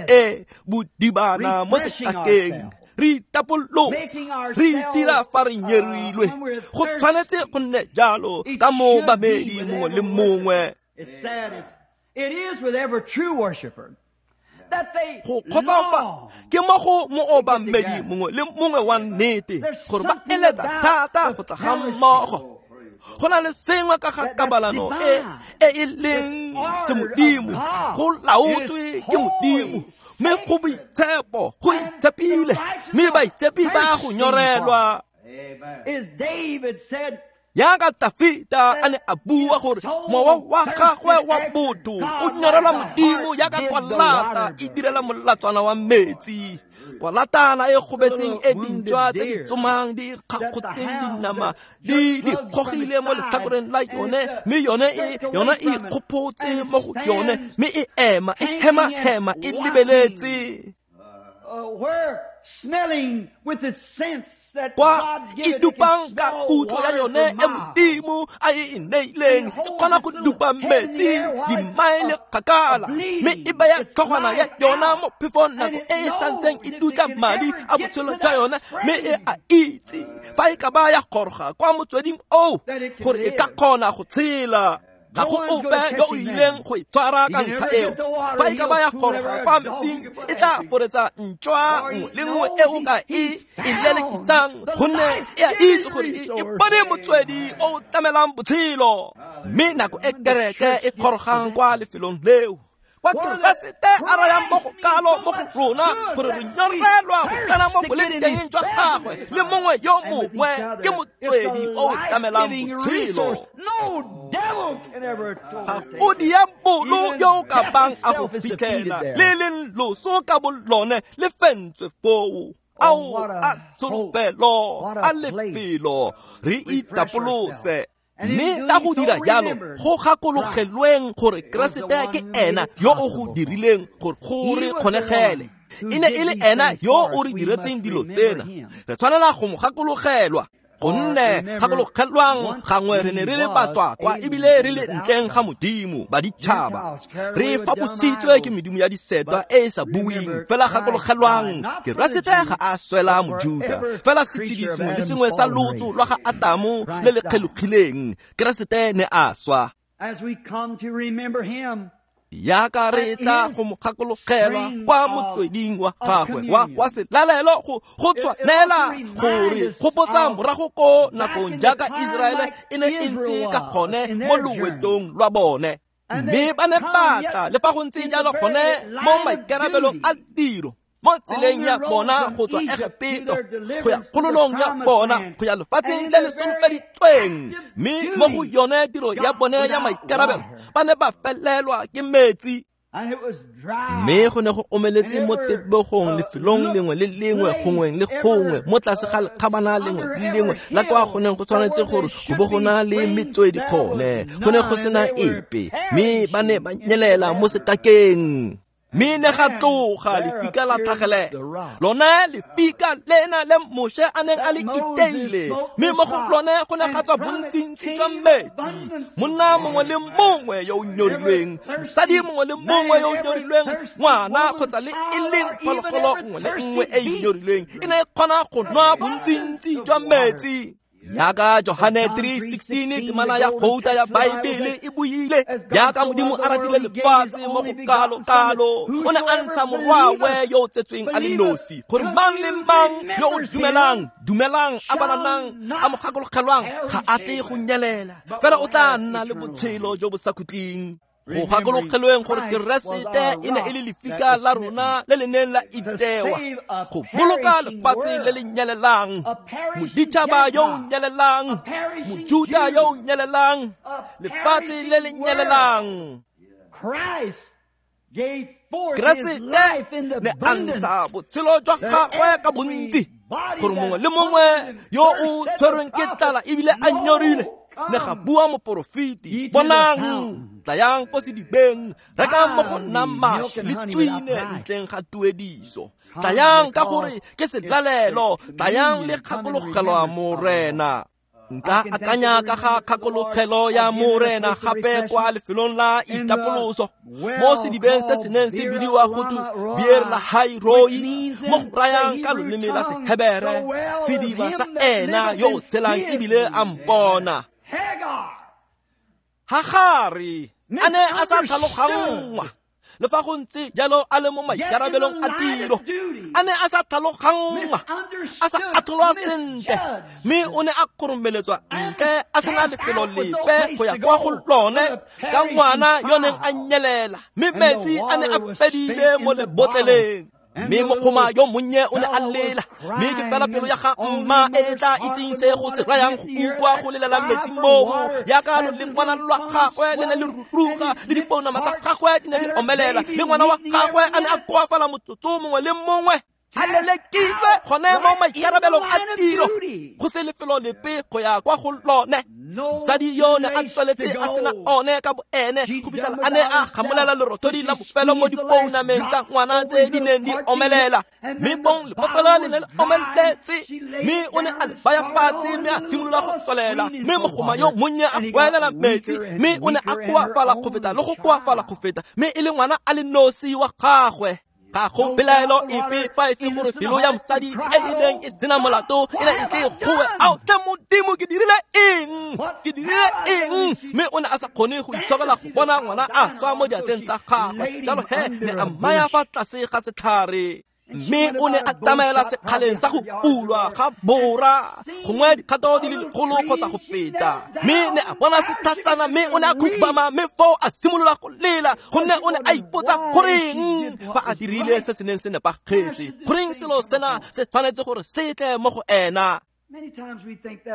E bodibana mo sekakeng, re itapolosa, re itira fa re nyerilwe. Go tshwanetse go nne jalo ka moobamedi mongwe le mongwe. Go kgotsofa ke mo go moobamedi mongwe le mongwe wa nnete gore ba eletsa thata go tla ga mmogo. Go na le sengwe ka ga kabalano e e e leng semodimo, go laotswe ke Modimo, mme go boitshepo, go itshepile, mme baitshepi ba go nyorelwa. Jaaka Tafita a ne a bua gore mowa wa gagwe wa botho o nyorelwa Modimo jaaka kwalata e direla molatswana wa metsi. Kwalatana e gobetseng e dintšwa tse di tsomang di kgakgotseng dinama di di kgogile mo letlhakoreng la yone, mme yone e yona e ikgophotse mo go yone, mme e ema e hema-hema e lebeletse. Kwa e dupang ka kutlo ya yone e Modimo a e e neileng, e kgona go dupa metsi dimaele kgakala, mme e baya tlhogwana ya yona mo phefong nako e e santseng e dutla madi a botshelo jwa yone, mme e a itse fa e ka ba ya goroga kwa motsweding oo gore e ka kgona go tshela. Ga go ope yo o ileng go itshwara ka ntlha eo. Fa e ka ba ya goroga kwa metsing, e tla foretsa ntšwa nngwe le nngwe e o ka e e lelekisang, gonne e a itse gore e bone motswedi o o tlamelang botshelo. Mme nako e kereke e gorogang kwa lefelong leo, kwa Keresete a rayang mo go kalo mo go rona gore re nyorelwa go tsena mo boleng teng jwa gagwe le mongwe yo mongwe, ke motswedi o o tlamelang botshelo. Ga go diabolo yo o ka bang a go fitlhela, le leng loso ka bolone le fentswe foo. Ao a tsholofelo a lefelo, re itapolose. Mme ka go dira jalo, go gakologelweng gore Keresete ke ena yo o go dirileng gore go re kgonegele. E ne e le ena yo o re diretseng dilo tsena, re tshwanela go mo gakologelwa. Gonne gakologelwang gangwe re ne re le batswakwa ebile re le ntleng ga Modimo ba ditšhaba, re fapositswe ke medimo ya disetwa e e sa buing. Fela gakologelwang, Keresete ga a swela Mojuda, fela setshedi sengwe le sengwe sa lotso lwa ga Atamo le le kgelogileng, Keresete ne a swa. As we come to remember him, Yaka re tla go mo gakologelwa kwa motsweding wa gagwe wa wa selalelo go go tshwanela gore gopotsa morago ko nakong jaaka Iseraele e ne e ntse ka gone mo loetong lwa bone. Mme ba ne batla le fa go ntse jalo gone mo maikarabelong a tiro mo tseleng ya bona go tswa Egepeto go ya kgololong ya bona go ya lefatsheng le le solofeditsweng. Mme mo go yone tiro ya bone ya maikarabelo ba ne ba felelwa ke metsi. Mme go ne go omeletse mo tebogong lefelong lengwe le lengwe gongwe le gongwe mo tlase ga lekgabana lengwe le lengwe la kwa go neng go tshwanetse gore go bo go na le metswedi gone, go ne go sena epe, mme ba ne ba nyelela mo sekakeng. Mme ne ga tloga lefika la tlhagelela, lone lefika lena le Moshe a neng a le iteile, mme mo go lone go ne ga tswa bontsintsi jwa metsi. Monna mongwe le mongwe yo o nyorilweng, mosadi mongwe le mongwe yo o nyorilweng, ngwana kgotsa le e leng phologolo nngwe le nngwe e e nyorilweng e ne e kgona go nwa bontsintsi jwa metsi. Yaka Johane three sixteen temana ya gouta ya Baebele e buile, yaka Modimo a ratile lefatshe mo go kalo-kalo, o ne a ntsha morwawe yo o tsetsweng a le nosi, gore mang le mang yo o dumelang, dumelang a balanang, a mo gakologelwang, ga a tle go nyelela, fela o tla nna le botshelo jo bo sa khutleng. Go gakologelweng gore Keresete e ne e le lefika la rona le le neng la itewa go boloka lefatshe le le nyelelang, moditšhaba yo o nyelelang, Mojuda yo o nyelelang, lefatshe le le nyelelang. Keresete ne a ntsha botshelo jwa gagwe ka bontsi gore mongwe le mongwe yo o tshwerweng ke tlala ebile a nyorile, ne ga bua moporofeti, bonang, tlayang ko sedibeng, rekang mo go nna mašwi le tswine ntleng ga tuediso. Tlayang ka gore ke selalelo, tlayang le kgakologelwa Morena. Nka akanya ka ga kgakologelo ya Morena gape kwa lefelong la itapoloso mo sedibeng se se neng se bidiwa go twe Beer Lahai Roi, mo go rayang ka loleme la Sehebere, sediba sa ena yo o tshelang ebile a mpona. Hagare a ne a sa tlhaloganngwa, le fa go ntse jalo a le mo maikarabelong a tiro, a ne a sa tlhaloganngwa, a sa atholwa sentle, mme o ne a kgoromeletswa ntle a sena lefelo lepe go ya kwa go lone ka ngwana yo neng a nyelela, mme metsi a ne a fedile mo lebotleleng. Mme mokgoma yo monnye o ne a lela, mme ke fela pelo ya ga mma e tla itseng se go se rayang go utlwa go lelela metsi moo, yaka lolengwana lwa gagwe le ne le ruruga, le dipounama tsa gagwe di ne di omelela, le ngwana wa gagwe a ne a koafala motsotso mongwe le mongwe, a lelekilwe gone mo maikarabelong a tiro, go se lefelo lepe go ya kwa go lone. Mosadi yo ne a tsweletse a sena one ka boene go fitlhela a ne a gamolela lerothodi la bofelo mo dipounameng tsa ngwana tse di neng di omelela, mme fong lebotlolo le ne le omeletse, mme o ne a le baya fatshe mme a simolola go tswelela, mme mogoma yo monnye a goelela metsi, mme o ne a koafala go feta le go koafala go feta, mme e le ngwana a le nosi wa gagwe. Ga go pelaelo epe fa e se gore pelo ya mosadi e e neng e sena molato e ne e tle goe, ao tle Modimo, ke dirile eng? Ke dirile eng? Mme o ne a sa kgone go itshokela go bona ngwana a swa mo diatleng tsa gagwe, jalo he ne a mmaya fa tlase ga setlhare. Mme o ne a tsamaela sekgaleng sa go fulwa ga bora, gongwe dikgato di le lekgolo kgotsa go feta, mme ne a bona setlhatsana, mme o ne a khubama, mme foo a simolola go lela, gonne o ne a ipotsa goreng fa a dirile se se neng se nepagetse, goreng selo sena se tshwanetse gore se tle mo go ena.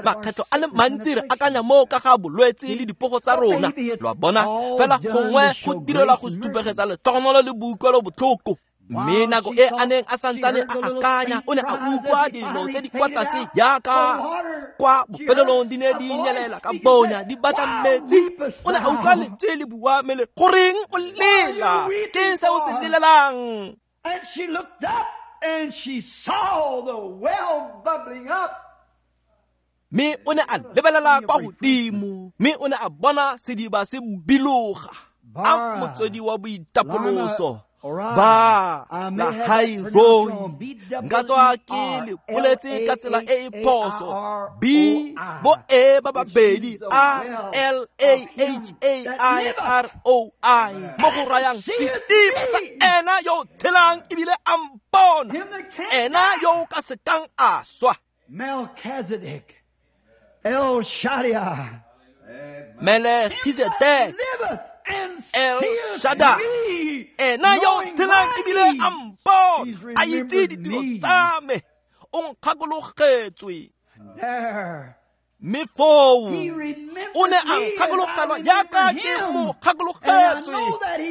Makgetlho a le mantsi re akanya moo ka ga bolwetse le dipogo tsa rona, lo a bona, fela gongwe go direlwa go supegetsa letlhogonolo le boikuelo botlhoko. Mme nako e a neng a santsane a akanya, o ne a utlwa dilo tse di kwa tlase jaaka kwa bofelelong di ne di nyelela ka bonya di batla metsi. O ne a utlwa lentswe le bua mme le goreng o lela, ke eng se o se lelelang? And she looked up and she saw the well bubbling up. Mme o ne a lebelela kwa godimo, mme o ne a bona sediba se biloga. A motswedi wa boitapoloso ba Lahairoi. Nka tswa ke le boletse ka tsela e e phoso. B bo E ba babedi R L A H A I R O I, mo go rayang sediba sa ena yo tshelang ebile a mpona, ena yo ka sekang a swa. Melchizedek, El Shaddai, Melchizedek, El Shaddai, ena yo tshelang ebile a mpona, a itse ditiro tsa me, o nkgakologetswe. Mme foo o ne a nkgakologelwa jaaka ke mo kgakologetswe,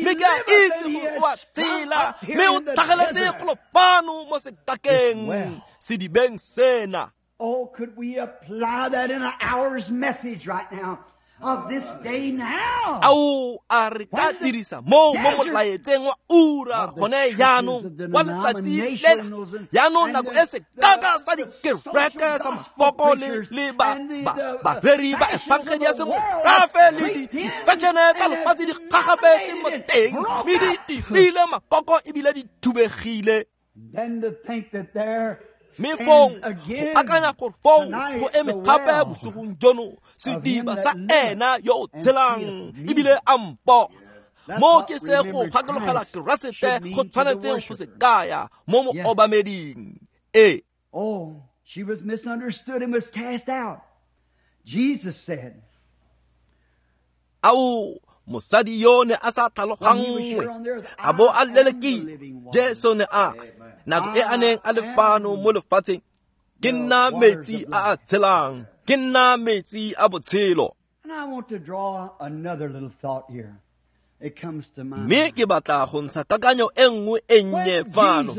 mme ke a itse gore o a tsela, mme o tlhageletse golo fano mo sekakeng sedibeng sena. Oh, could we apply that in an hour's message right now of this day now? Ao, a re ka dirisa mo mo molaetseng wa ura gone jaanong wa letsatsi lela. Jaanong nako e sekaka sa dikereke sa makoko le le ba bareri ba efangedi ya semorafe le difešene tsa lefatshe di gagabetse mo teng, mme di tirile makoko ebile di thubegile. Then to think that there Mme foo go akanya gore foo go eme gape bosigong jono sediba sa ena yo o tshelang ebile a mpo. Mo ke se go gakologela Keresete go tshwanetseng go se kaya mo mo obameding. E. Oh, she was misunderstood and was cast out. Jesus said, Ao, mosadi yo ne a sa tlhaloganngwe, a bo a lelekile. Jesu ne a nako e a neng a le fano mo lefatsheng, ke nna metsi a a tshelang, ke nna metsi a botshelo. And I want to draw another little thought here. It comes to mind. Mme ke batla go ntsha kakanyo e nngwe e nnye fano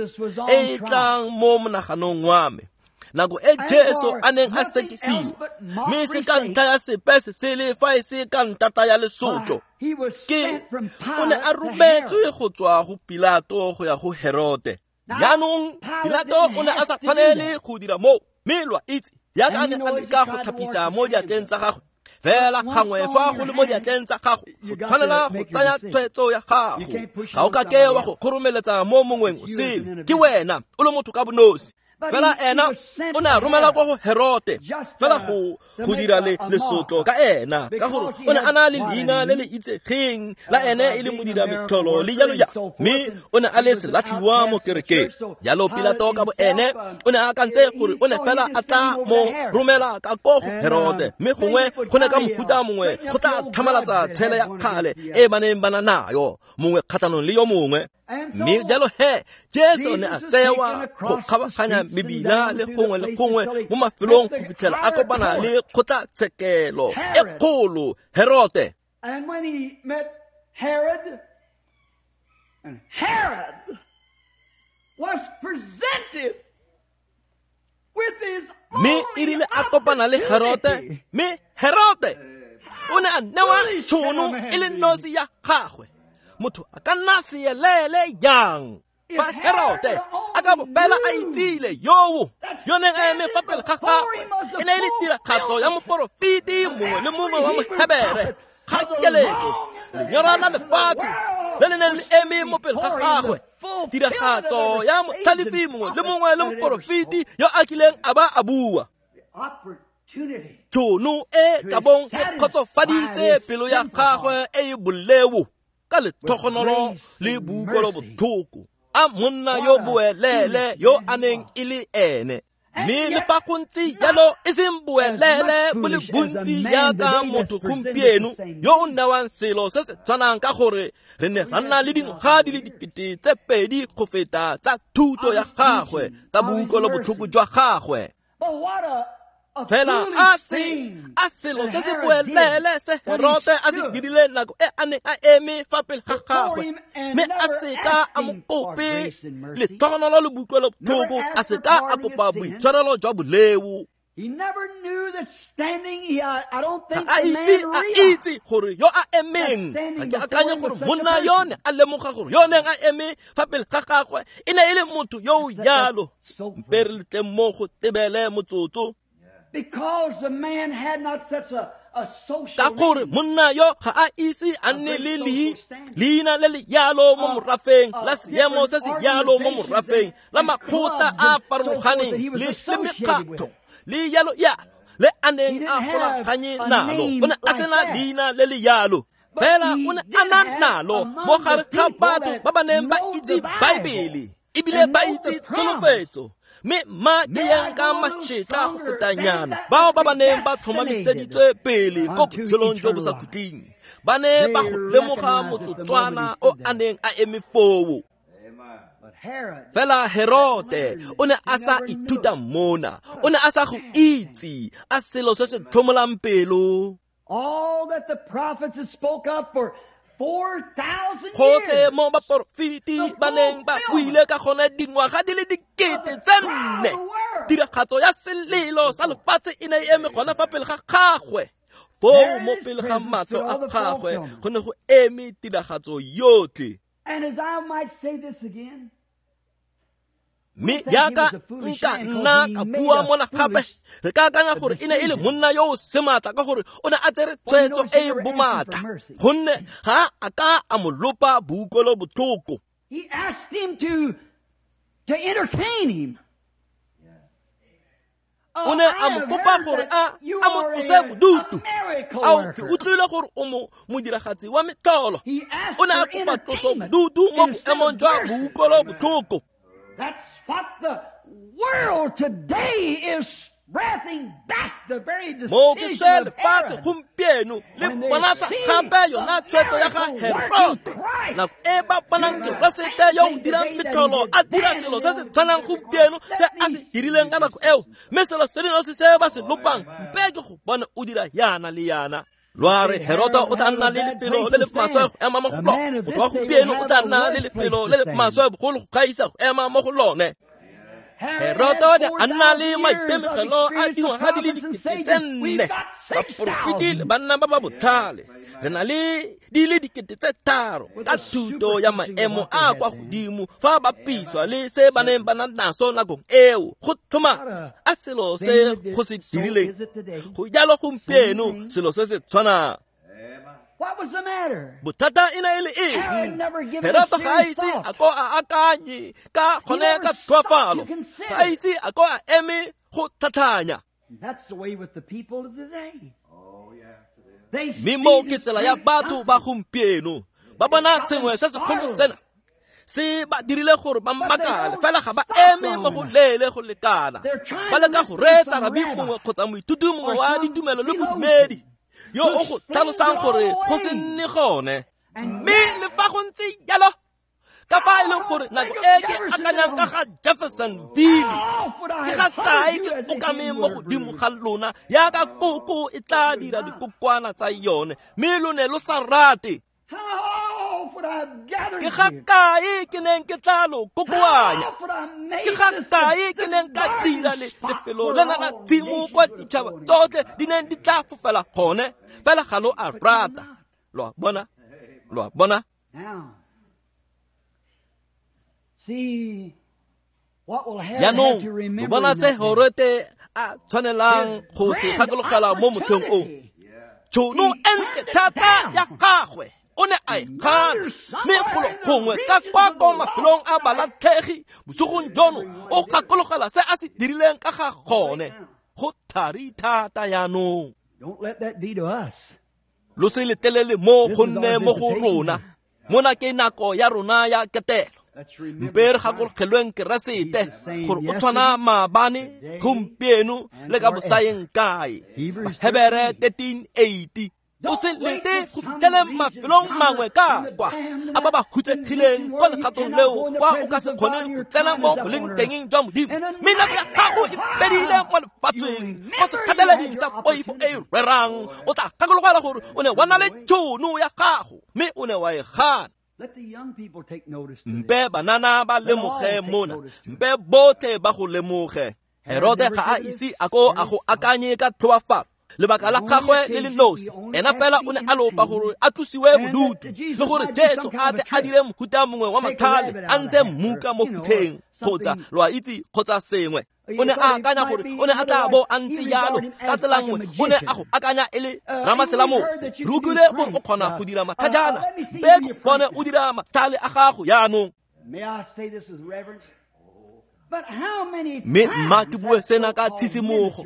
e e tlang mo monaganong wa me. Nako e Jesu a neng a sekisiwa, mme se ka ntlha ya sepe se se le fa e se ka ntata ya lesotlo, ke o ne a rometswe go tswa go Pilato go ya go Herote. Jaanong Pilato o ne a sa tshwanele go dira moo, mme lo a itse jaaka a ne a leka go tlhapisa mo diatleng tsa gagwe. Fela gangwe fa go le mo diatleng tsa gago, o tshwanela go tsaya tshwetso ya gago. Ga o ka ke wa go kgoromeletsa mo mongweng o sele, ke wena o le motho ka bonosi. Fela ena o ne a romela kwa go Herote fela go go dira le lesotlo ka ena, ka gore o ne a na le leina le le itsegeng la ene e le modira metlholo le jalo jalo, mme o ne a le selatlhiwa mo kerekeng. Jalo Pilato ka bo ene o ne a akantse gore o ne fela a tla mo romela ka ko go Herote, mme gongwe go ne ka mohuta mongwe go tla tlhamalatsa tshele ya kgale e ba neng ba na nayo, mongwe kgatlhanong le yo mongwe. Mme jalo he Jesu ne a tsewa go kgabaganya mebila le gongwe le gongwe mo mafelong go fitlhela a kopana le kgotlatshekelo e kgolo Herote. And when he met Herod, and Herod was presented with his Mme e rile a kopana le Herote, mme Herote o ne a newa tšhono e le nosi ya gagwe. Motho a ka nna seelele yang fa Herote a ka bo fela a itsile yoo yo neng a eme fa pele ga gagwe e ne e le tiragatso ya moporofeti mongwe le mongwe wa Mohebere. Ga keletso lenyora la lefatshe le le neng le eme mo pele ga gagwe, tiragatso ya motlhalefi mongwe le mongwe le moporofeti yo a kileng a ba a bua. Tšhono e ka bong e kgotsofaditse pelo ya gagwe e e boleo ka letlhogonolo le boutlwelobotlhoko a monna yo boelele yo a neng e le ene. Mme le fa go ntse jalo e seng boelele bo le bontsi jaaka motho gompieno yo o newang selo se se tshwanang, ka gore re ne ra nna le dingwaga di le dikete tse pedi go feta tsa thuto ya gagwe, tsa boutlwelobotlhoko jwa gagwe. Fela a se a selo se se boelele se Herote a se dirileng nako e a neng a eme fa pele ga gagwe, mme a seka a mo kope letlhogonolo le boutlwelobotlhoko, a seka a kopa boitshwarelo jwa boleo. Ga a ise a itse gore yo a emeng, ga ke akanye gore monna yo ne a lemoga gore yo neng a eme fa pele ga gagwe e ne e le motho yo o jalo. Mpe re letleng mo go tebele motsotso. Ka gore monna yo ga a ise a nne le leina le le yalo mo morafeng, la seemo se se yalo mo morafeng, la makgotla a farologaneng le le mekgatho le yalo yalo le a neng a golaganye nalo. O ne a sena leina le le yalo, fela o ne a na nalo mo gare ga batho ba ba neng ba itse Baebele ebile ba itse tsholofetso. Mme mma ke yang ka mašetla go fetanyana bao ba ba neng ba tlhomamiseditswe pele ko botshelong jo bo sa khutleng ba ne ba go lemoga motsotswana o a neng a eme foo. Fela Herote o ne a sa ithuta mona, o ne a sa go itse a selo se se tlhomolang pelo. Gotlhe mo baporofeti ba neng ba buile ka gone dingwaga di le dikete tse nne, tiragatso ya selelo sa lefatshe e ne e eme gona fa pele ga gagwe. Foo mo pele ga matlho a gagwe go ne go eme tiragatso yotlhe. Mme jaaka nka nna ka bua mona gape, re ka akanya gore e ne e le monna yo o sematla ka gore o ne a tsere tshwetso e e bomatla, gonne ga a ka a mo lopa boutlwelo botlhoko. O ne a mo kopa gore a a mo tlose bodutu. Ao, ke utlwile gore o mo modiragatsi wa metlholo. O ne a kopa tloso bodutu mo boemong jwa boutlwelo botlhoko. That's what the world today is breathing back, the very decision of Herod. When they see the miracle Christ, Lwa re Heroda o tla nna le lefelo le le maswe go ema mo go lone. Motho wa gompieno o tla nna le lefelo le le maswe bogolo go gaisa go ema mo go lone. Heroda o ne a nna le maitemogelo a dingwaga di le dikete tse nne, baporofeti le banna ba ba botlhale. Re na le di le dikete tse tharo ka thuto ya maemo a kwa godimo fa ba bapiswa le se ba neng ba na naso nakong eo. Go tlhoma a selo se go se dirileng go jalo gompieno, selo se se tshwanang. Bothata e ne e le eng? Heroda ga a ise a ko a akanye ka gone ka tlhoafalo, ga a ise a ko a eme go tlhatlhanya. Mme moo ke tsela ya batho ba gompieno, ba bona sengwe se segolo sena se ba dirile gore ba mmakale, fela ga ba eme mo go leele go lekana. Ba leka go reetsa rabi mongwe kgotsa moithuti mongwe wa ditumelo le bodumedi yo o go tlhalosang gore go se nne gone. Mme le fa go ntse jalo, ka fa e leng gore nako e ke akanyang ka ga Jeffersonville, ke ga kae ke okameng mo godimo ga lona yaka koko e tla dira dikokwana tsa yone, mme lo ne lo sa rate. Ke ga kae ke neng ke tla lo kokoanya? Ke ga kae ke neng ka dira le lefelo lena la tshimo kwa ditšhaba tsotlhe di neng di tla fofela gone? Fela ga lo a rata. Lo a bona? Lo a bona? Jaanong lo bona se Herote a tshwanelang go se gakologela mo motlheng o. Tšhono e ntle thata ya gagwe o ne a e gana, mme golo gongwe ka kwa ko mafelong a balatlhegi bosigong jono o gakologela se a se dirileng ka ga gone. Go thari thata jaanong. Lo se letelele mo go nne mo go rona. Mona ke nako ya rona ya ketelo. Mpe re gakologelweng Keresete gore o tshwana maabane, gompieno le ka bosaeng kae. Bahebere thirteen eighty. O se lete go fitlheleng mafelong mangwe ka kwa a ba ba hutsegileng kwa legatong leo kwa o ka se kgoneng go tsena mo boleng tengeng jwa Modimo. Mme nako ya gago e fedile mo lefatsheng, mo sekgateleding sa poifo e e rerang. O tla gakologelwa gore o ne wa na le tšhono ya gago, mme o ne wa e gana. Mpe banana ba lemoge mona, mpe botlhe ba go lemoge. Herode ga a ise a ko a go akanye ka tlhoafalo. Lebaka la gagwe le le nosi, ena fela o ne a lopa gore a tlosiwe bodutu le gore Jesu a tle a dire mohuta mongwe wa mathale a ntse mmuka mo phutheng kgotsa lo a itse kgotsa sengwe. O ne a akanya gore o ne a tla bo a ntse jalo ka tsela nngwe, o ne a go akanya e le ramaselamose. Re utlwile gore o kgona go dira mathajana, mpe ke bone o dira mathale a gago jaanong. Mme mma ke bue sena ka tshisimogo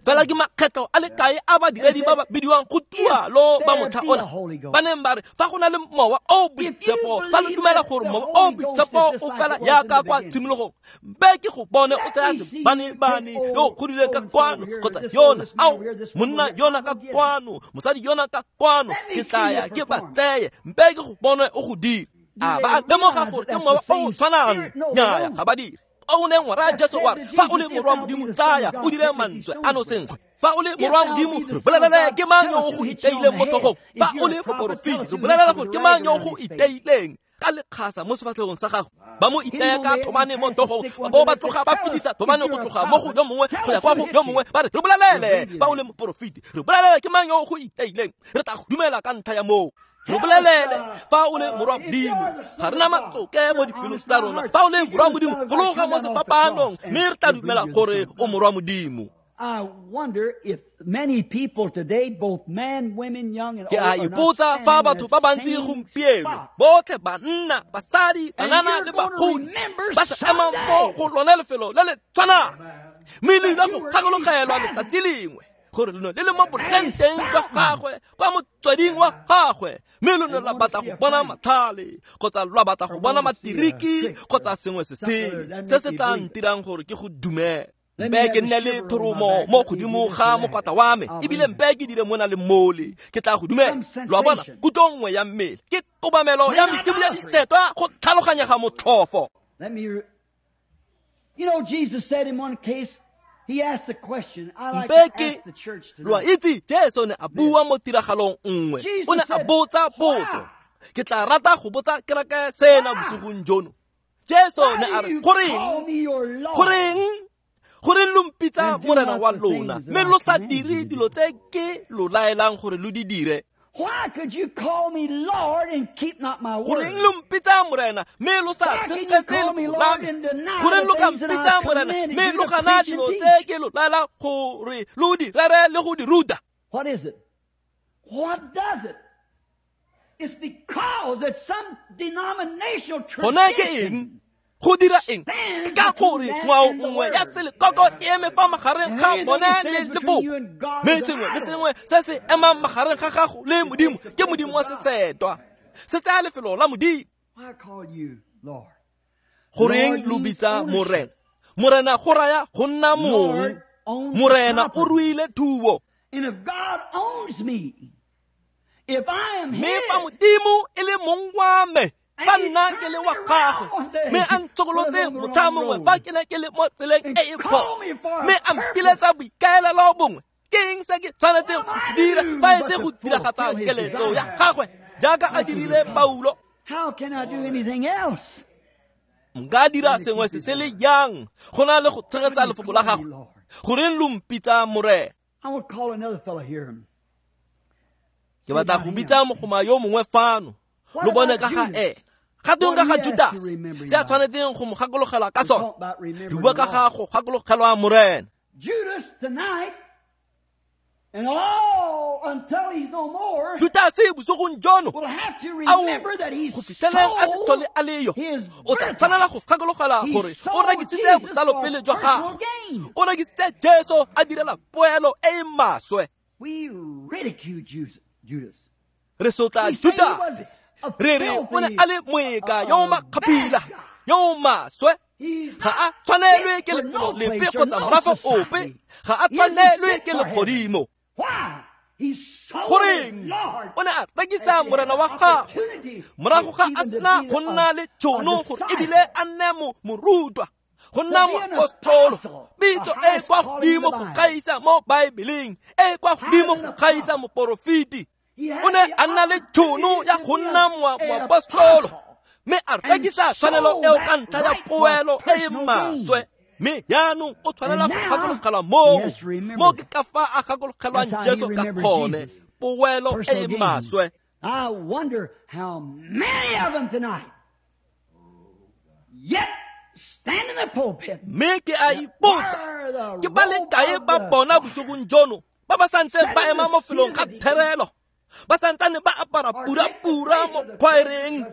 fela, ke makgetlho a le kae a badiredi ba ba bidiwang go tualo ba motlha ona ba neng ba re fa go na le mowa o boitshepo, fa lo dumela gore mowa o boitshepo o fela jaaka kwa tshimologong, mpe ke go bone o tsaya sebanebane yo o godileng ka kwano kgotsa yona, ao monna yona ka kwano, mosadi yona ka kwano, ke tla ya ke ba tseye, mpe ke go bone o go dira. A ba lemoga gore ke mowa o o tshwanang? Nnyaya, ga ba dire. O neng wa raya Jesu wa re fa o le morwa Modimo tsaya o dire mantswe ano senkgwe. Fa o le morwa Modimo re bolelele ke mang yo o go iteileng mo tlhogong. Fa o le moporofeti re bolelele gore ke mang yo o go iteileng ka lekgasa mo sefatlhegong sa gago. Ba mo itaya ka thomane mo tlhogong, ba bo ba tloga ba fetisa thomane go tloga mo go yo mongwe go ya kwa go yo mongwe, ba re re bolelele fa o le moporofeti, re bolelele ke mang yo o go iteileng, re tla go dumela ka ntlha ya moo. Re bolelele fa o le morwa Modimo, ga re na matsoke mo dipelong tsa rona. Fa o le morwa Modimo, fologa mo sefapanong, mme re tla dumela gore o morwa Modimo. Ke a ipotsa fa batho ba bantsi gompieno, botlhe banna, basadi, banana le bagodi, ba sa emang mo go lone lefelo le le tshwanang, mme le ile go gakologelwa letsatsi lengwe gore leno le le mo bolenteng jwa gagwe kwa motsweding wa gagwe, mme lo ne lwa batla go bona matlhale kgotsa lwa batla go bona matiriki kgotsa sengwe se sele se se tla ntirang gore ke go dumele. Mpe ke nne le thoromo mo godimo ga mokwatla wa me, ebile mpe ke dire mona le mole, ke tla go dumela. Lo a bona, kutlo nngwe ya mmele ke kobamelo ya medimo ya disetwa go tlhaloganyega motlhofo. You know, Jesus said in one case, he asked a question. I like to ask the church today. Lo a itse, Jesu ne a bua mo tiragalong nngwe, o ne a botsa potso. Ke tla rata go botsa kereke sena bosigong jono. Jesu ne a re, goreng goreng goreng lo mpitsa morena wa lona, mme lo sa dire dilo tse ke lo laelang gore lo di dire? Why could you call me Lord and keep not my word? Goreng lo mpitsa morena mme lo sa tshegetse lefoko la me? Goreng lo ka mpitsa morena mme lo gana dilo tse ke lo laelang gore lo di rere le go di ruta? What is it? What does it? It's because that some denominational Gona ke eng? Go dira eng? Ke ka gore ngwao nngwe ya selekoko e eme fa magareng ga bone le lefoko, mme sengwe le sengwe se se emang magareng ga gago le Modimo ke Modimo wa sesetwa, se tsaya lefelo la Modimo. Goreng lo bitsa morena? Morena go raya go nna mong. Morena o ruile thuo. Mme fa Modimo e le mong wa me, fa nna ke le wa gagwe, mme a ntshokolotse motlha mongwe fa ke ne ke le mo tseleng e e phoso, mme a mpiletsa boikaelelo bongwe, ke eng se ke tshwanetseng go se dira fa e se go diragatsa keletso ya gagwe jaaka a dirile Paulo? Nka dira sengwe se se le jang go na le go tshegetsa lefoko la gagwe? Goreng lo mpitsa morena? Ke batla go bitsa mogoma yo mongwe fano, lo bone ka ga ena. Ga tweng ka ga Judas, se a tshwanetseng go mo gakologelwa ka sone? Re bua ka ga go gakologelwa morena. Judas bosigong jono, ao go fitlheleng a se tlhole a le yo, o tla tshwanela go gakologelwa gore o rekisitse botsalopele jwa gagwe, o rekisitse Jesu a direla poelo e e maswe. Re sotla Judas, re re o ne a le moeka yo o makgaphila, yo o maswe. Ga a tshwanelwe ke lefelo lepe kgotsa morafe ope, ga a tshwanelwe ke legodimo. Goreng o ne a rekisa morena wa gagwe morago ga a sena go nna le tšhono gore ebile a nne mo morutwa, go nna moapostolo, pitso e kwa godimo go gaisa mo Baebeleng, e kwa godimo go gaisa moporofeti. O ne a nna le tšhono ya go nna moapostolo, mme a rekisa tshwanelo eo ka ntlha ya poelo e e maswe. Mme jaanong o tshwanela go gakologelwa moo. Mo ke ka fa a gakologelwang Jesu ka gone, poelo e e maswe. I wonder how many of them tonight yet stand in the pulpit. Mme ke a ipotsa, ke ba le kae ba bona bosigong jono ba ba santseng ba ema mo felong ga therelo, ba santsane ba apara pura-pura mo khwaereng,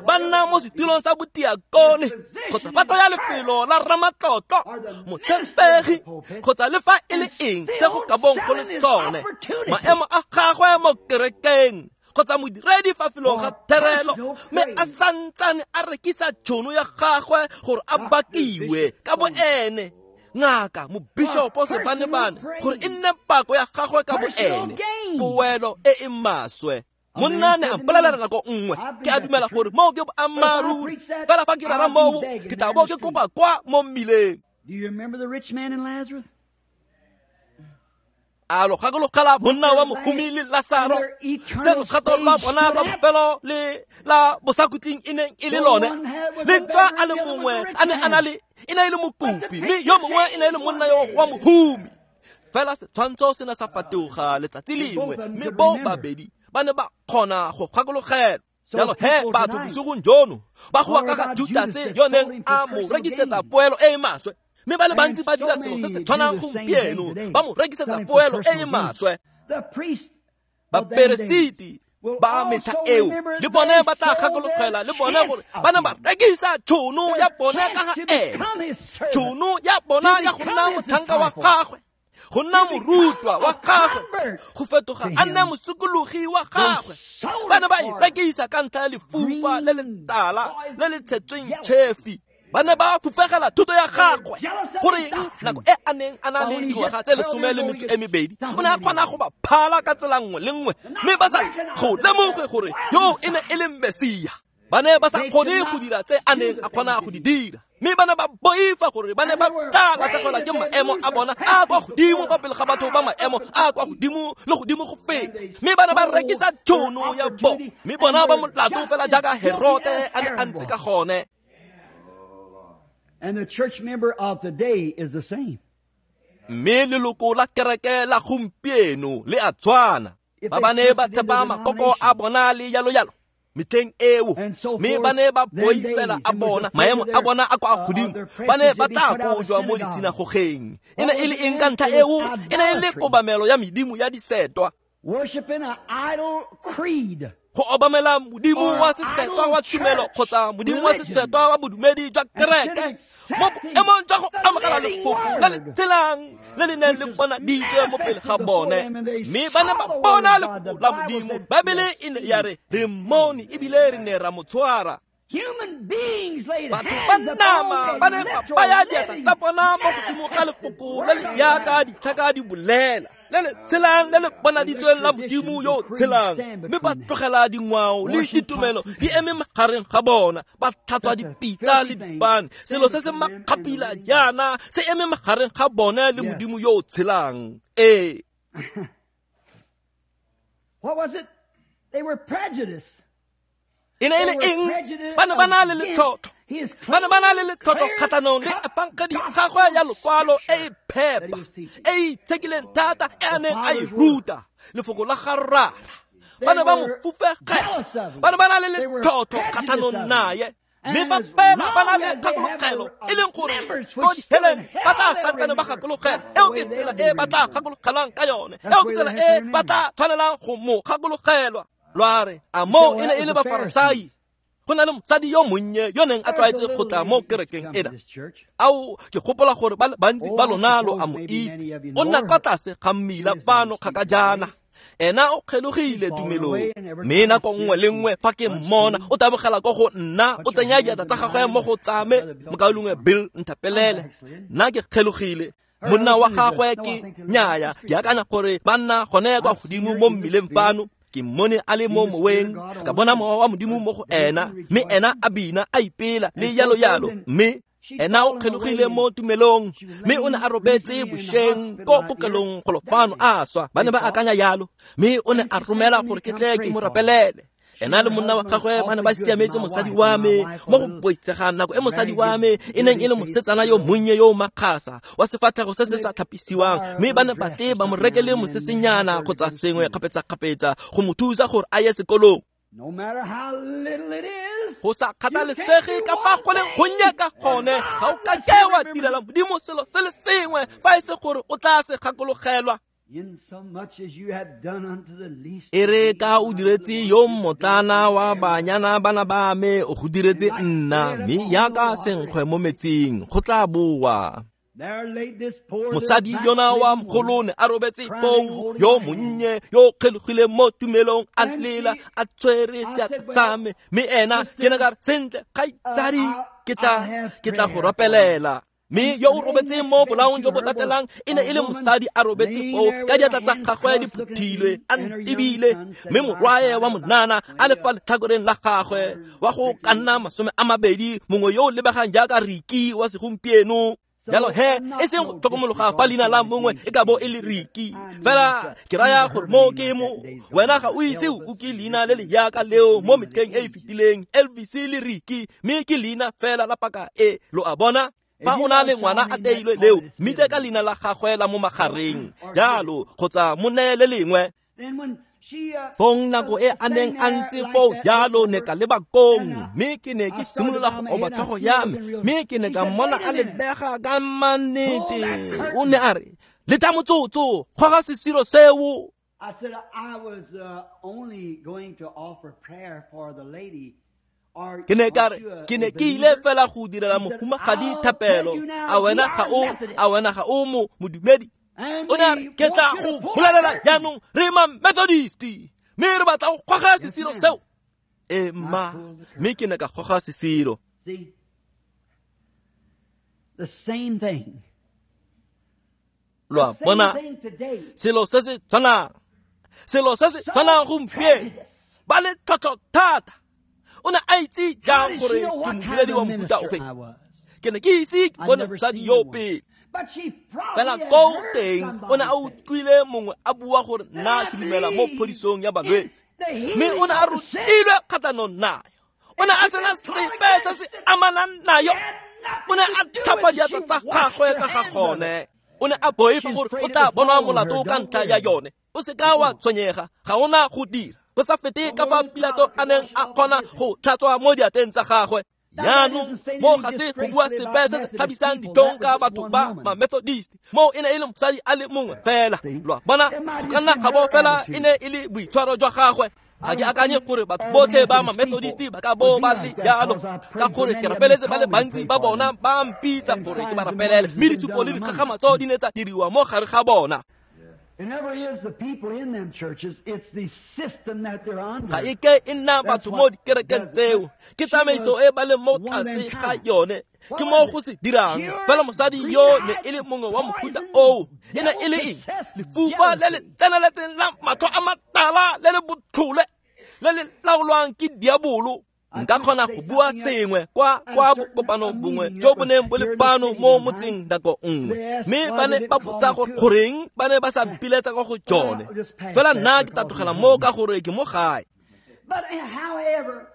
ba nna mo setilong sa botiakone, kgotsa ba tsaya lefelo la ramatlotlo, motshepegi, kgotsa le fa e le eng se go ka bong go le sone, maemo a gagwe mo kerekeng, kgotsa modiredi fa felong ga therelo, mme a santsane a rekisa tšhono ya gagwe gore a bakiwe ka bo ene, ngaka mobishopo sebanebane, gore e nne pako ya gagwe ka bo ene, poelo e e maswe. Monna ne a mpolelela nako nngwe, ke a dumela gore moo ke boammaaruri, fela fa ke rera moo ke tla bo ke kopa kwa mo mmileng. Do you remember the rich man and Lazarus? A lo gakologela monna wa mohumi le Lasaro, se logato lwa bona lwa bofelo le la bosakutleng e neng e le lone. Le ntswa a le mongwe a ne a na le, e ne e le mokopi, mme yo mongwe e ne e le monna yo wa mohumi. Fela setshwantsho se ne sa fetoga letsatsi lengwe, mme bo babedi ba ne ba kgona go gakologela. Jalo he batho bosigong jono ba goa ka ga Judase yo neng a mo rekisetsa poelo e e maswe, mme ba le bantsi ba dira selo se se tshwanang gompieno, ba mo rekisetsa poelo e e maswe. Baperesiti ba metlha eo le bone ba tla gakologela le bone gore ba ne ba rekisa tšhono ya bona ka ga ene, tšhono ya bona ya go nna motlhanka wa gagwe, go nna morutwa wa gagwe, go fetoga a nne mosokologi wa gagwe. Ba ne ba e rekisa ka ntlha ya lefufa le le tala le le tshetsweng tšhefi. Ba ne ba fufegela thuto ya gagwe, gore nako e a neng a na le dingwaga tse lesome le metso e mebedi, o ne a kgona go ba phala ka tsela nngwe le nngwe, mme ba sa go lemoge gore yo e ne e le Mesia. Ba ne ba sa kgone go dira tse a neng a kgona go di dira, mme ba ne ba boifa gore ba ne ba tla latlhegelwa ke maemo a bona a kwa godimo fa pele ga batho ba maemo a kwa godimo le godimo go feta, mme ba ne ba rekisa tšhono ya bo, mme bona ba molato fela jaaka Herote a ne a ntse ka gone. And the church member of today is the same. Mme leloko la kereke la gompieno le a tshwana. Ba ba ne ba tshepa makoko a bona le yalo yalo metlheng eo, mme ba ne ba boifela a bona maemo a bona a kwa godimo, ba ne ba tla kojwa mo disinagogeng. E ne e le eng ka ntlha eo? E ne e le kobamelo ya medimo ya disetwa, worshiping an idol creed, go obamela modimo wa sesetwa wa tumelo kgotsa modimo wa sesetwa wa bodumedi jwa kereke, mo boemong jwa go amogela lefoko le le tshelang le le neng le bonaditswe mo pele ga bone. Mme ba ne ba bona lefoko la Modimo. Baebele e ne ya re re mmone ebile re ne ra mo tshwara. Batho ba nama ba ne ba baya diatla tsa bona mo godimo ga lefoko le le jaaka ditlhaka di bolela, le le tshelang le le bonaditsweng la Modimo yo o tshelang, mme ba tlogela dingwao le ditumelo di eme magareng ga bona, ba tlhatswa dipitsa le dipane, selo se se makgapila jaana se eme magareng ga bone le Modimo yo o tshelang. Ee. What was it? They were prejudiced. E ne e le eng? Ba ne ba na le letlotlo, ba ne ba na le letlotlo kgatlhanong le efangedi gagwe ya lokwalo e e phepa, e e itshekileng thata e a neng a e ruta, lefoko la ga Rara. Ba ne ba mo fufegela, ba ne ba na le letlotlo kgatlhanong naye, mme fa fela ba na le kgakologelo, e leng gore ko diheleng ba tla santsane ba gakologela. Eo ke tsela e ba tla gakologelwang ka yone, eo ke tsela e ba tla tshwanelang go mo gakologelwa. Lwa re a moo e ne e le Bafarasai. Go na le mosadi yo monnye yo neng a tlwaetse go tla mo kerekeng ena. Ao, ke gopola gore ba le bantsi ba lona lo a mo itse. O nna kwa tlase ga mmila fano kgaka jaana. Ena o kgelogile tumelong, mme nako nngwe le nngwe fa ke mmona o tabogela ko go nna, o tsenya diatla tsa gagwe mo go tsame. Mokaulengwe Bill nthapelele, nna ke kgelogile. Monna wa gagwe ke nyaya, ke akanya gore ba nna gone kwa godimo mo mmileng fano. Ke mmone a le mo moweng, ka bona mowa wa Modimo mo go ena, mme ena a bina a ipela le yalo yalo. Mme ena o kgelogile mo tumelong, mme o ne a robetse bošeng ko kokelong golo fano a swa. Ba ne ba akanya yalo, mme o ne a romela gore ke tle ke mo rapelele. Ena le monna wa gagwe ba ne ba siametse mosadi wa me mo go boitsegang nako e mosadi wa me e neng e le mosetsana yo monnye yo o makgasa wa sefatlhego se se sa tlhapisiwang, mme ba ne ba tle ba mo rekele mosesenyana kgotsa sengwe kgapetsa-kgapetsa go mo thusa gore a ye sekolong. No matter how little it is, Go sa kgathalesege ka fa go leng gonnye ka gone, ga o ka ke wa direla Modimo selo se le sengwe fa e se gore o tla se gakologelwa. in so much as you have done unto the least E re ka o diretse yo mmotlana wa banyana bana ba me, o go diretse nna, mme jaaka senkgwe mo metsing go tla boa. There laid this poor Mosadi little yona wa backslidden woman, mogolo ne a robetse foo, yo monnye yo kgelogileng mo tumelong, a lela a tshwere seatla sa me, mme ena ke ne ka re, sentle kgaitsadi, ke tla ke tla go rapelela. Mme yo o robetseng mo bolaong jo bo latelang e ne e le mosadi a robetse foo ka diatla tsa gagwe di phuthilwe a ntebile, mme morwae wa monana a le fa letlhakoreng la gagwe wa go ka nna masome a mabedi, mongwe yo o lebegang jaaka Riki wa segompieno. Jalo he, e seng go tlhokomologa fa leina la mongwe e ka bo e le Riki, fela ke raya gore mo ke mo wena ga o ise o utlwe leina le le jaaka leo mo metlheng e e fetileng, Elvis le Riki, mme ke leina fela la paka e, lo a bona. Fa o na le ngwana a teilwe leo, mmitse ka leina la gagwe la mo magareng jalo, kgotsa mo neye le lengwe. Then when she, uh, Fong nako e a neng a ntse foo jalo, ne ka leba kong, mme ke ne ke simolola go oba tlhogo ya me, mme ke ne ka mmona a lebega ka mannete. O ne a re, letla motsotso, goga sesiro seo. I said I was uh, only going to offer prayer for the lady. Are, Ke ne ka aren't re, you a- ke ne a ke ile believer? fela go direla mohumagadi thapelo. A wena ga o, a wena ga o mo modumedi? And O ne a re, we ke tla want you go to pull bolelela that curtain. jaanong re ma Methodist, mme re batla go goga sesiro seo. E mma, mme ke ne ka goga sesiro. See, the same thing. Lo a The same bona, thing today. selo se se tshwanang, selo se se So tshwanang gompieno, prejudice. ba le tlhotlho thata. O ne a itse How jang did gore she know ke what kind modiredi of wa mofuta minister ofe? I was? Ke ne ke ise ke I'd bone never mosadi seen yo one. pele. But she probably Fela had ko heard teng o ne a somebody say, utlwile mongwe a bua gore nna ke dumela mo phodisong ya balwetse, mme o ne a rutilwe kgatlhanong nayo. O ne a sena sepe se se amanang nayo. O ne a tlhapa diatla tsa gagwe ka ga gone. O ne a boifa gore o tla bonwa molato ka ntlha ya yone. O se ka wa tshwenyega, ga ona go dira. Go sa fete ka fa Pilato a neng a kgona go tlhatswa mo diatleng tsa gagwe. Jaanong mo ga se go bua sepe se se tlhabisang ditlhong ka batho ba ma-Methodist, mo e ne e le mosadi a le mongwe fela. Lo a bona, go ka nna ga bo fela e ne e le boitshwaro jwa gagwe. Ga ke akanye gore batho botlhe ba ma-Methodist ba ka bo ba le jalo, ka gore ke rapeletse ba le bantsi ba bona ba mpitsa gore ke ba rapelele, mme ditshupo le dikgakgamatso di ne tsa diriwa mo gare ga bona. It never is the people in them churches, it's the system that they're under. Ga e ke e nna batho mo dikerekeng tseo, ke tsamaiso e ba leng mo tlase ga yone, ke mo go se dirang. Fela mosadi yo ne e le mongwe wa mofuta oo, e ne e le eng? Lefufa le le tseneletseng la matlho a matala le le botlhole le le laolwang ke diabolo. Nka kgona go bua sengwe kwa kwa bokopanong bongwe jo bo neng bo le fano mo motseng nako nngwe, mme ba ne ba botsa gore goreng ba ne ba sa mpiletsa kwa go jone. Fela nna ke tla tlogela mo ka gore ke mo gae. But however,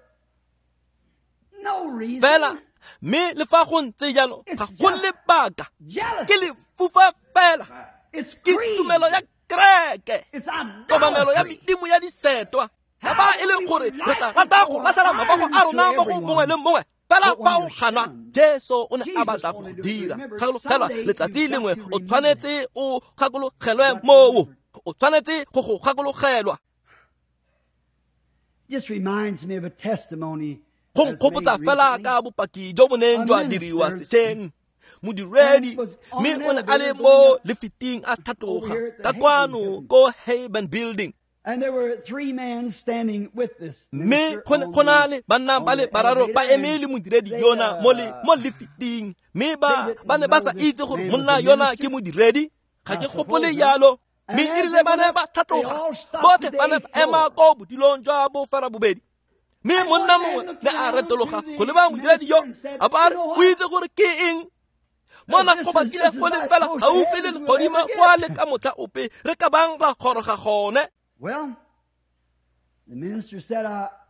no reason. Fela mme le fa go ntse jalo, ga go lebaka, Jealousy. ke lefufa fela, It's ke greed. tumelo ya kereke, It's kobamelo ya idolatry. medimo ya disetwa. Ka fa e leng gore re tla rata go latlhela mabogo a rona mo go mongwe le mongwe, fela fa o ganwa, Jesu o ne a batla go dira. Gakologelwa, letsatsi lengwe o tshwanetse o gakologelwe moo, o tshwanetse go go gakologelwa. Just reminds me of a testimony Go that's made nkgopotsa fela recently. ka bopaki jo bo neng jwa diriwa sešweng. Modiredi, mme o ne a le mo lefiting a tlhatloga ka kwano ko Hayben Building. And there were three men standing with this Mme minister go ne on go na the- le banna ba le on the bararo ba elevator, eme le and modiredi they, yona mo le uh, mo lefiting, mme ba they didn't ba ne ba know sa this itse gore man was monna a yona minister. ke modiredi. Ga ke I gopole suppose not. jalo. And Mme as erile they ba ne went ba up, they tlhatloga, all stopped botlhe to ba ne the ba eighth ema floor. ko bodilong jwa boferabobedi. Mme And monna one man mongwe looked ne a around retologa to the go leba modiredi yo, minister and said, a ba a re, "You know o what? itse gore ke eng? Mo This nako is- ba kile this is go le about fela close to gaufi le heaven as we'll legodimo ever get. kwa le ka motlha ope re ka bang ra goroga gone. Well,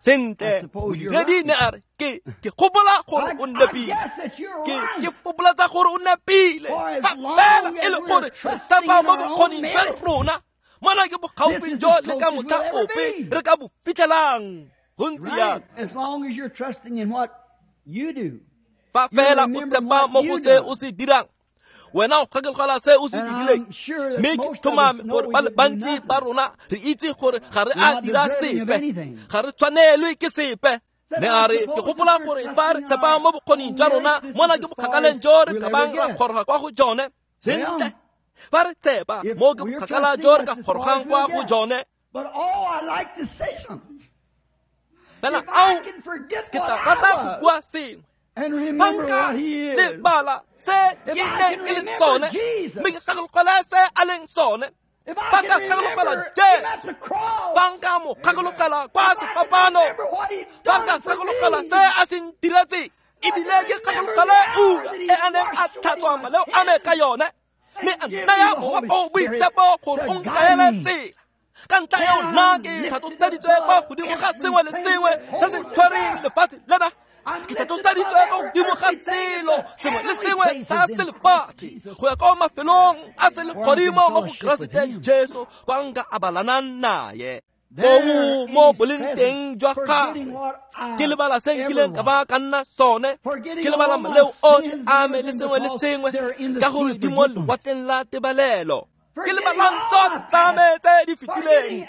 Sentle, modiredi ne a re, ke ke gopola gore o nepile, ke ke gopolatsa gore o nepile, fa fela e le gore re tshepa mo bokgoning jwa rona, mona ke bogaufing jo le ka motlha ope re ka bo fitlhelang. Go ntse jalo. Fa fela o tshepa mo go se o se dirang, wena o gakologelwa se o se dirileng. Mme ke tlhomame gore ba le bantsi ba rona re itse gore ga re a dira sepe, ga re tshwanelwe ke sepe. Ne a re, ke gopola gore fa re tshepa mo bokgoning jwa rona, mona ke bokgakaleng jo re ka bang ra goroga kwa go jone. Sentle, fa re tshepa mo ke bokgakala jo re ka gorogang kwa go jone. Fela ao, ke tla rata go bua sengwe. Fa nka lebala se ke neng ke le sone, mme ke gakologelwa se a leng sone. Fa nka gakologelwa Jesu, fa nka mo gakologelwa kwa sefapano, fa nka gakologelwa se a se ntiretseng, ebile ke gakologelwe ura e a neng a tlhatswa maleo a me ka yone, mme a nnaya Mowa o o Boitshepo gore o nkaele tsela. Ka ntlha eo nna ke tlhatloseditswe kwa godimo ga sengwe le sengwe se se tshwereng lefatshe lena. Ke tlhatloseditswe kwa godimo ga selo sengwe le sengwe sa selefatshe go ya kwa mafelong a selegodimo mo go Keresete Jesu, kwa nka abalanang naye. Koo mo boleng teng jwa gagwe, ke lebala se nkileng ka ba ka nna sone, ke lebala maleo otlhe a me le sengwe le sengwe, ka gore di mo lewatleng la tebalelo. Ke lebala tsotlhe tsa me tse di fetileng,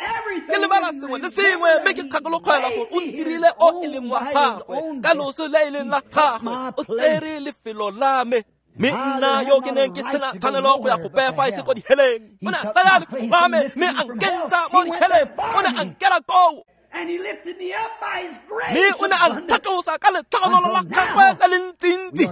ke lebala sengwe le sengwe, mme ke gakologelwa gore o ntirile o e leng wa gagwe, ka loso le e leng la gagwe, o tsere lefelo la me. Mme nna yo ke neng ke sena tshwanelo go ya go pefa e se ko diheleng, o ne a tsaya lefelo la me mme a nkentsha mo diheleng, o ne a nkela koo. Mme o ne a nthatlosa ka letlhogonolo la gagwe le le ntsintsi,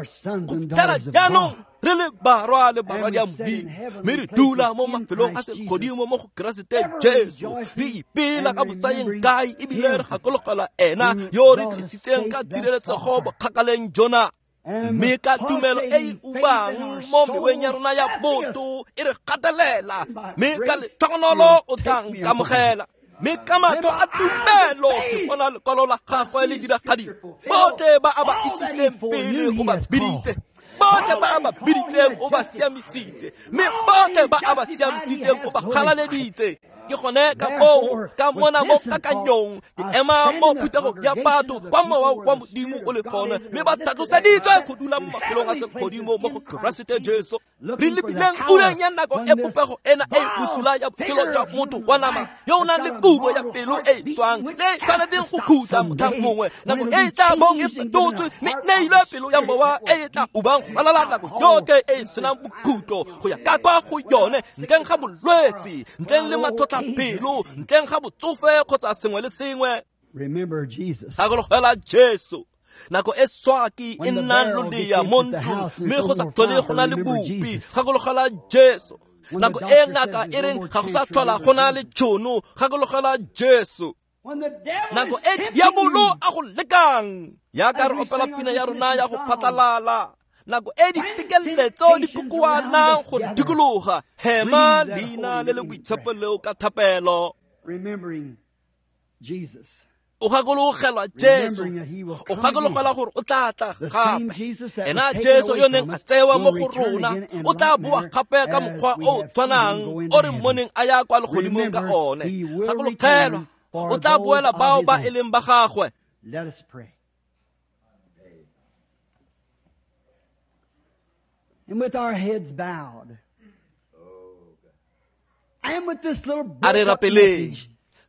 go fitlhela jaanong re le barwa le barwadia Modimo, mme re dula mo mafelong a selegodimo mo go Keresete Jesu, re ipela ka bosayeng kae, ebile re gakologelwa ena yo re tlisitseng ka tshireletsego bokgakaleng jona. Mme ka tumelo e e ubang mo meweng ya rona ya botho e re gatelela, mme ka letlhogonolo o tla nkamogela. Mme ka matlho a tumelo ke bona lekwalo la gagwe le diragadiwa. Botlhe ba a ba itsitseng pele o ba biditse, botlhe ba a ba biditseng o ba siamisitse, mme botlhe ba a ba siamisitseng o ba galaleditse. Ke gone ka moo ka mona mo kakanyong ke ema mo phuthegong ya batho kwa mowa wa Modimo o le gone, mme ba tlhatloseditswe go dula mo mafelong a selegodimo mo go Keresete Jesu. Re lebileng ureng ya nako e popego ena e bosula ya botshelo jwa motho wa nama yo o nang le kubo ya pelo e e swang le e tshwanetseng go khutla motlha mongwe, nako e e tla bong e fetotswe mme neilwe pelo ya mowa e e tla ubang go ralala nako yotlhe e e senang bokhutlo go ya ka kwa go yone, ntleng ga bolwetse, ntleng le matlhotlhapelo, ntleng ga botsofe kgotsa sengwe le sengwe. Gakologelwa Jesu. Nako e swaki e nnang lodea mo ntlong mme go sa tlhole go na le bopi, gakologelwa Jesu. Nako e ngaka e reng ga go sa tlhola go na le tšhono, gakologelwa Jesu. Nako e diabolo a go lekang, yaka re opela pina ya rona ya go phatlalala, nako e ditekeletso di kokoanang go dikologa, hema leina le le boitshepo leo ka thapelo. O gakologelwa Jesu, o gakologelwa gore o tla tla gape. Ena Jesu yo neng a tsewa mo go rona, o tla boa gape ka mokgwa o o tshwanang o re mmoneng a ya kwa legodimong ka one. Gakologelwa, o tla boela bao ba e leng ba gagwe. And with our heads bowed, and with this little A re rapeleng,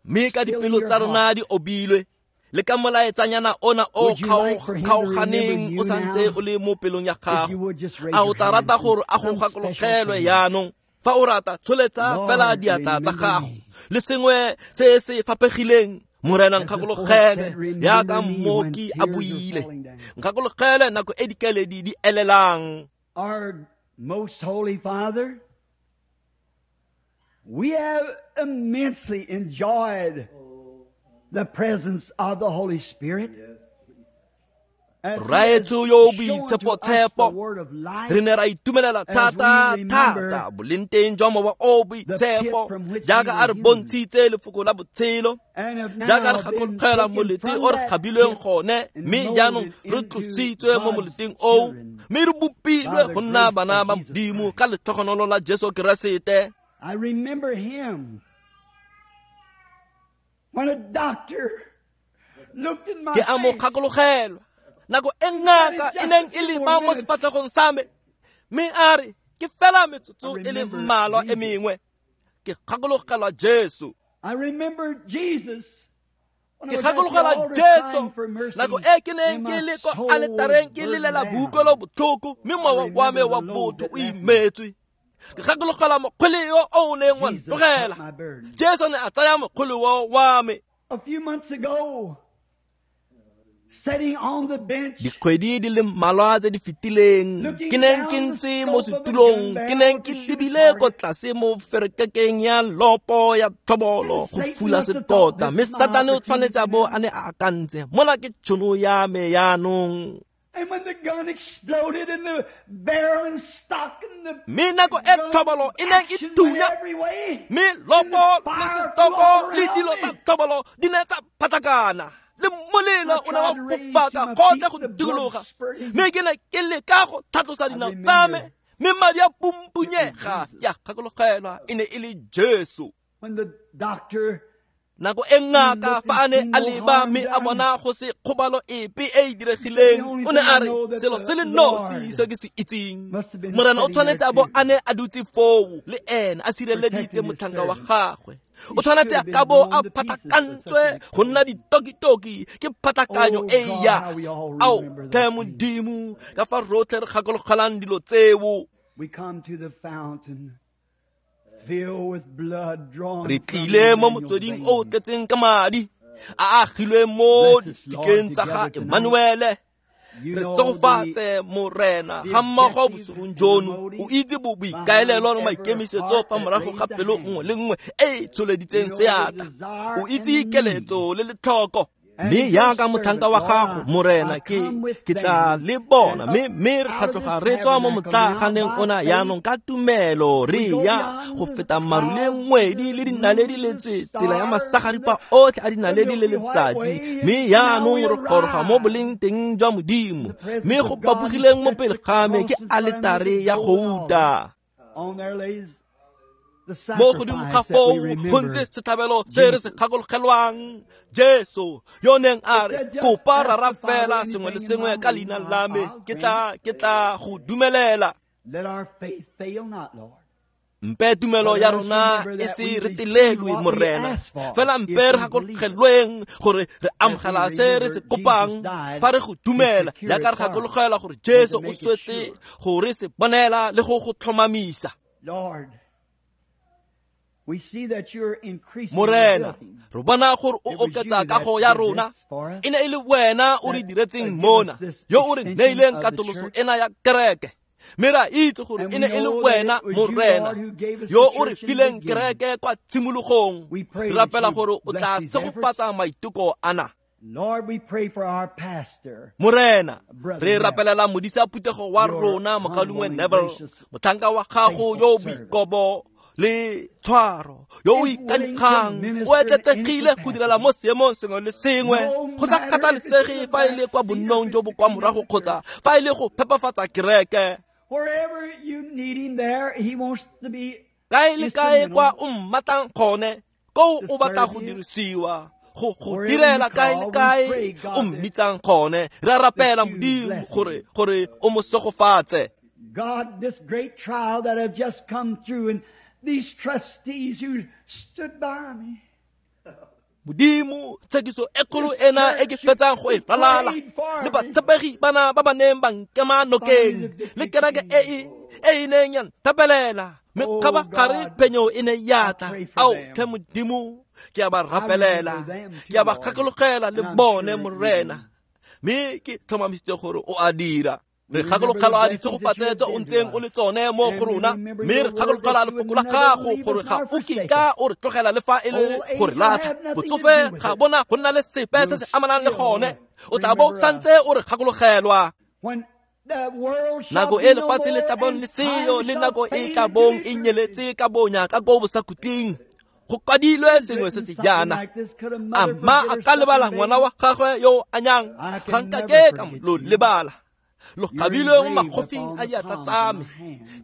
mme ka dipelo tsa rona di obilwe, le ka molaetsanyana ona o kgaoganeng o santse o le mo pelong ya gago, a o tla rata gore a go gakologelwe jaanong? Fa o rata, tsholetsa fela diatla tsa gago le sengwe se se fapegileng. Morena nkgakologelwe yaka mmoki a buile, nkgakologelwe nako e dikeledi di elelang. Our most holy Father, we have immensely enjoyed the presence of the Holy Spirit. Rraetsho yo o boitshepo-tshepo, re ne ra itumelela thata thata boleng teng jwa mowa o o boitshepo jaaka a re bontshitse lefoko la botshelo, jaaka re gakologelwa molete o re kgabilweng gone, mme jaanong re tlositswe mo moleteng oo, mme re bopilwe go nna bana ba Modimo ka letlhogonolo la Jesu Keresete. I remember him when a doctor looked in my Ke a mo face. gakologelwa nako e ngaka e neng e lema mo sefatlhegong sa me, mme a re ke fela metsotso e le mmalwa e mengwe. Ke gakologelwa Jesu. I remember Jesus. When I Ke was at the gakologelwa altar Jesu crying for mercy, nako e ke neng and ke my le kwa soul was aletareng ke burdened lelela down. boutlwelo botlhoko, mme mowa wa me wa botho o imetswe. Ke gakologelwa mokgwele yo o neng wa Jesus took ntlogela. my burden. Jesu ne a tsaya mokgwele wa wa me. A few months ago, sitting on the bench, Dikgwedi di le mmalwa tse di fetileng, ke neng ke ntse mo setulong, ke neng ke lebile ko tlase mo ferekekeng ya lopo ya tlhobolo go fula sekota, mme Satane o tshwanetse a bo a ne a akantse, mola ke tšhono ya me jaanong. And when the gun exploded and the barrel and stock and the Mme nako e tlhobolo e neng e action went thunya, every way, mme lopo le setoko le dilo tsa tlhobolo di ne tsa phatlakana, le molelo o ne wa fofaka gotlhe go dikologa, mme ke ne ke leka go tlhatlosa dinao tsa me, mme madi a pumpunyega. Ke a gakologelwa e ne e le Jesu. When the doctor Nako e ngaka fa a ne a leba mme a bona go se kgobalo epe e e diregileng, o ne a re selo se le nosi se ke se itseng, Morena o tshwanetse a bo a ne a dutse foo le ene a sireleditse motlhanka wa gagwe. O tshwanetse a ka bo a phatlakantswe go nna ditokitoki ke phatlakanyo e ya. Ao tlhe Modimo, ka fa rotlhe re gakologelang dilo tseo. We come to the fountain filled with blood drawn Re from tlile mo Emmanuel's motsweding o o veins. tletseng ka madi a agilwe mo Bless us, ditshikeng Lord, tsa ga together tonight. Emmanuele. You Re know segofatse Morena the ga mmogo objectives bosigong and the jono. motives O itse bo boikaelelo le behind every maikemisetso heart fa that morago ga raised a pelo hand. nngwe le nngwe e e tsholeditseng You know the seatla. desire O and itse the need. keletso le letlhoko. And Mme your jaaka motlhanka wa servant, gago, Lord, Morena, I ke come with ke tla them le bona, and mme up mme re out of tlhatloga this re tswa mo tabernacle now motlaganeng by ona faith. jaanong ka tumelo re We go ya beyond go the feta maru le clouds, ngwedi le the dinaledi moon, le the tse tsela ya stars, masagaripa the, otlhe a the dinaledi le Milky White letsatsi. Way, Mme and now jaanong we re goroga mo arrive boleng teng jwa Modimo, in the presence mme go of God who bapogileng mo stretched pele the ga me cross ke in front of me, aletare the ya golden altar. gouta. On there lays the Mo godimo ga sacrifice that we foo go remember ntse setlhabelo se re se Jesus. gakologelwang, Jesu yo neng a It re said, just kopa ask rara the Father fela sengwe le anything in sengwe my ka name, leina and la me, I'll ke grant tla it. ke tla go dumelela. Let our faith fail not, Lord. Mpe tumelo But ya let us rona remember e that se we receive retelelwe, what we Morena. ask for Fela if mpe re we believe it. gakologelweng gore re As we amogela se re se remember Jesus kopang died fa re go to dumela, secure jaaka it re for us gakologelwa gore and to Jesu o make it swetse sure. gore se bonela le go go tlhomamisa. Lord, we see that you're increasing the Morena, building. re bona gore o It was you oketsa that kago ya did rona. this for us, E ne e le wena o re that uh, diretseng give us mona, this yo o re extension neileng of the katoloso church. ena ya kereke. Mme re a itse gore And e we ne e le know that wena it was you, Morena, Lord, who gave us yo the o re church in the fileng beginning. kereke kwa tshimologong. We pray Re that rapela you gore o bless tla these efforts. segofatsa maiteko ana. Lord, we pray for our pastor, Morena, Brother re Neville, rapelela modisa phuthego wa your rona humble mokaulengwe and Neville, gracious, motlhanka wa gago faithful yo o servant. boikobo le tshwaro, yo o Is willing to ikanyegang, o minister in any etletsegile go direla capacity. mo seemong sengwe le sengwe, No go sa matter if it's in kgathalesege the fa e back le kwa seat or bonnong if jo it's bo the kwa cleaning morago of the kgotsa church. fa e le go phepafatsa kereke. Wherever you need him there, he wants to be Kae le kae kwa instrumental o mmatlang gone, koo to o batla serve go you. dirisiwa, go go Wherever you direla kae le call, we kae pray, o God, that, mmitsang gone. Re a that rapela you Modimo bless gore him. gore o mo segofatse. God, this great trial that I've just come through and these trustees who stood by me. Modimo, tshekiso e kgolo This ena e ke church who, fetsang go e who ralala, prayed for le me. batshepegi bana ba ba neng ba nkema Finally, nokeng, the le victory kereke e came. e e e neng ya nthapelela, mme Oh kgabagare God, phenyo e ne ya I tla. pray for Ao tlhe them. Modimo, ke a ba I remember rapelela, them ke too, a ba Lord, gakologelwa le and I'm bone sure you Morena, do. mme ke tlhomamisitse gore o a dira. Re gakologelwa ditshegofatso tse o ntseng o le tsone mo go rona, mme re gakologelwa lefoko la gago gore ga o kitla o re tlogela le fa e le gore latlha. Botsofe ga bona go nna le sepe se se amanang le gone, o tla bo santse o re gakologelwa. Nako e lefatshe le tla bong le seyo, le nako e tla bong e nyeletse ka bonya ka ko bosakhutleng. Go kwadilwe sengwe se se jaana, a mma a ka lebala ngwana wa gagwe yo o anyang? Ga nkake ka lo lebala. Lo kgabilwe mo magofing a diatla tsa me,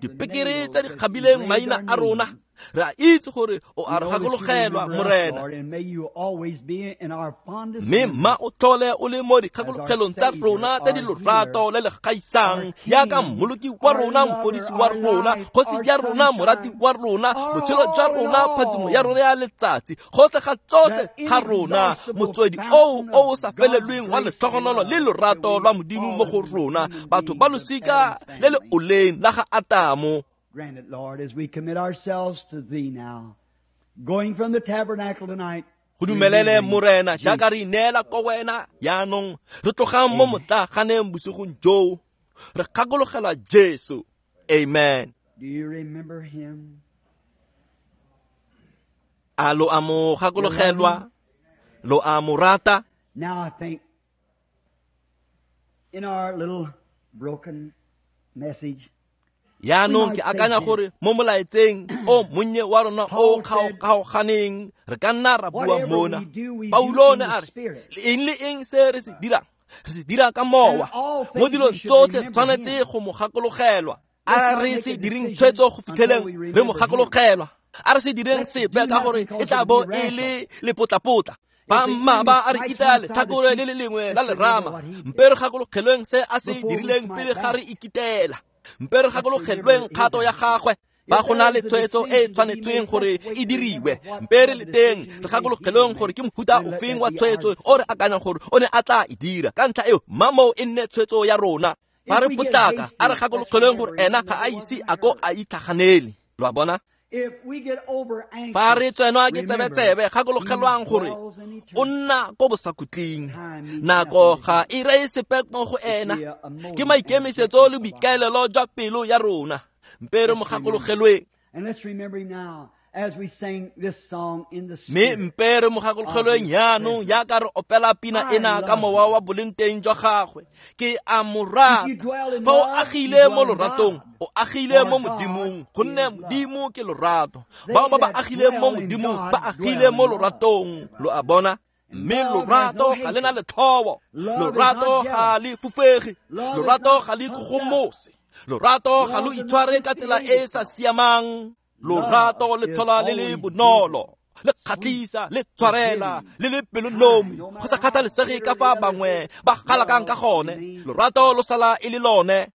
dipekere tse di kgabileng maina a rona. Re a itse gore o a re gakologelwa, Morena, mme mma o tlhole o le mo dikgakologelong tsa rona tse di lorato le le gaisang, jaaka mmoloki wa rona, mofodisi wa rona, kgosi ya rona, morati wa rona, botshelo jwa rona, phatsimo ya rona ya letsatsi, gotlhe ga tsotlhe ga rona, motswedi oo o o sa felelweng wa letlhogonolo le lorato lwa Modimo mo go rona, batho ba losika le le oleng la ga Atamo. Grant it, Lord, as we commit ourselves to Thee now, going from the tabernacle tonight. Go dumelele, Morena, jaaka re ineela ko wena jaanong, re tlogang mo motlaganeng bosigong joo, re gakologelwa Jesu. Amen. Do you remember Him? A lo a mo gakologelwa? Lo a mo rata? Now I think in our little broken message, Yaanong ke akanya gore mo molaetseng o monnye wa rona o kgaoganeng re ka nna ra bua mona. Paulo ne a re le eng le eng se re se dirang, re se dira ka mowa. Mo dilong tsotlhe tshwanetse go mo gakologelwa. A re se direng tshwetso go fitlheleng re mo gakologelwa. A re se direng sepe ka gore e tla bo e le lepotlapotla. Ba mma ba a re kita letlhakore le le lengwe la lerama, mpe re gakologelweng se a se dirileng pele ga re ikitela. Mpe re gakologelweng kgato ya gagwe. Ba go na le tshwetso e e tshwanetsweng gore e diriwe, mpe re le teng re gakologelweng gore ke mofuta ofeng wa tshwetso o re akanyang gore o ne a tla e dira. Ka ntlha eo, mma moo e nne tshwetso ya rona. Ba re potlaka, a re gakologelweng gore ena ga a ise a ko a itlhaganele. Lo a bona? Fa re tsenwa ke tsebetsebe, gakologelwang gore o nna ko bosakhutleng. Nako ga e reye sepe mo go ena, ke maikemisetso le boikaelelo jwa pelo ya rona. Mpe re mo gakologelweng. Mme mpe re mo gakologelweng jaanong jaaka re opela pina ena ka mowa wa boleng teng jwa gagwe. Ke a mo rata. Fa o agile mo loratong, o agile mo Modimong, gonne Modimo ke lorato. Bao ba ba agileng mo Modimong ba agile mo loratong. Lo a bona? Mme lorato ga le na letlhobo, lorato ga le fufege, lorato ga le ikgogomose, lorato ga lo itshware ka tsela e e sa siamang. Lorato le tlhola le le bonolo, le kgatlhisa, le tshwarela, le le pelonomi, go sa kgathalesege ka fa bangwe ba galakang ka gone. Lorato lo sala e le lone.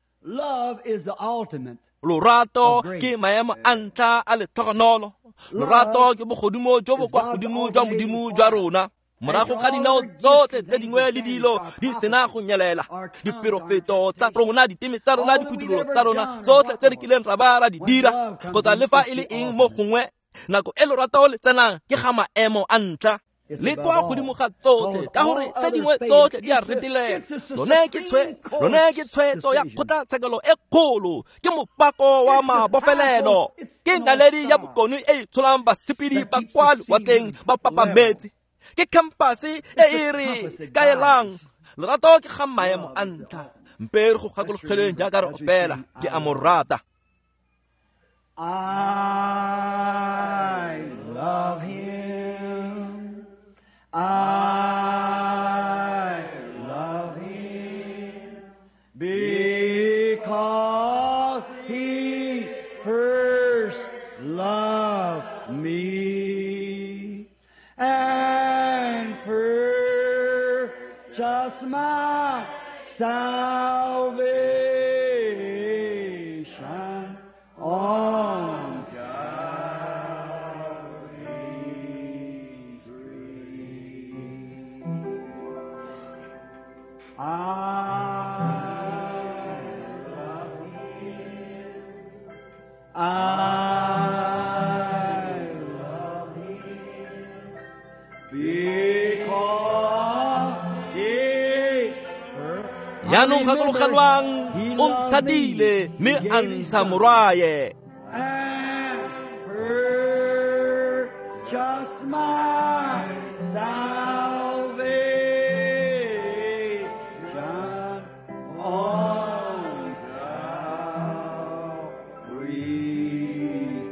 Lorato ke maemo a ntlha a letlhogonolo. Lorato ke bogodimo jo bo kwa godimo jwa Modimo jwa rona. Morago ga dinao tsotlhe tse dingwe le dilo di sena go nyelela, diperofeto tsa rona, diteme tsa rona, diphuthololo tsa rona, tsotlhe tse re kileng ra ba ra di dira, kgotsa le fa e le eng mo gongwe, nako e lorato le tsenang ke ga maemo a ntlha le kwa godimo ga tsotlhe, ka gore tse dingwe tsotlhe di a retelela. Lone ke tshwe lone ke tshwetso ya kgotlatshekelo e kgolo, ke mopako wa mabofelelo, ke naledi ya bokone e e tsholang basepedi ba kwa lewatleng ba papametse, ke khampase e e re kaelang. Lorato ke ga maemo a ntlha. Mpe re go gakologelweng jaaka re opela, ke a mo rata. I love Him. I love Him because He first loved me and purchased my salvation on Calvary's tree. I love Him. I love Him because He Jaanong gakologelwang O nthatile mme a ntsha morwaye. Purchase my salvation on Calvary's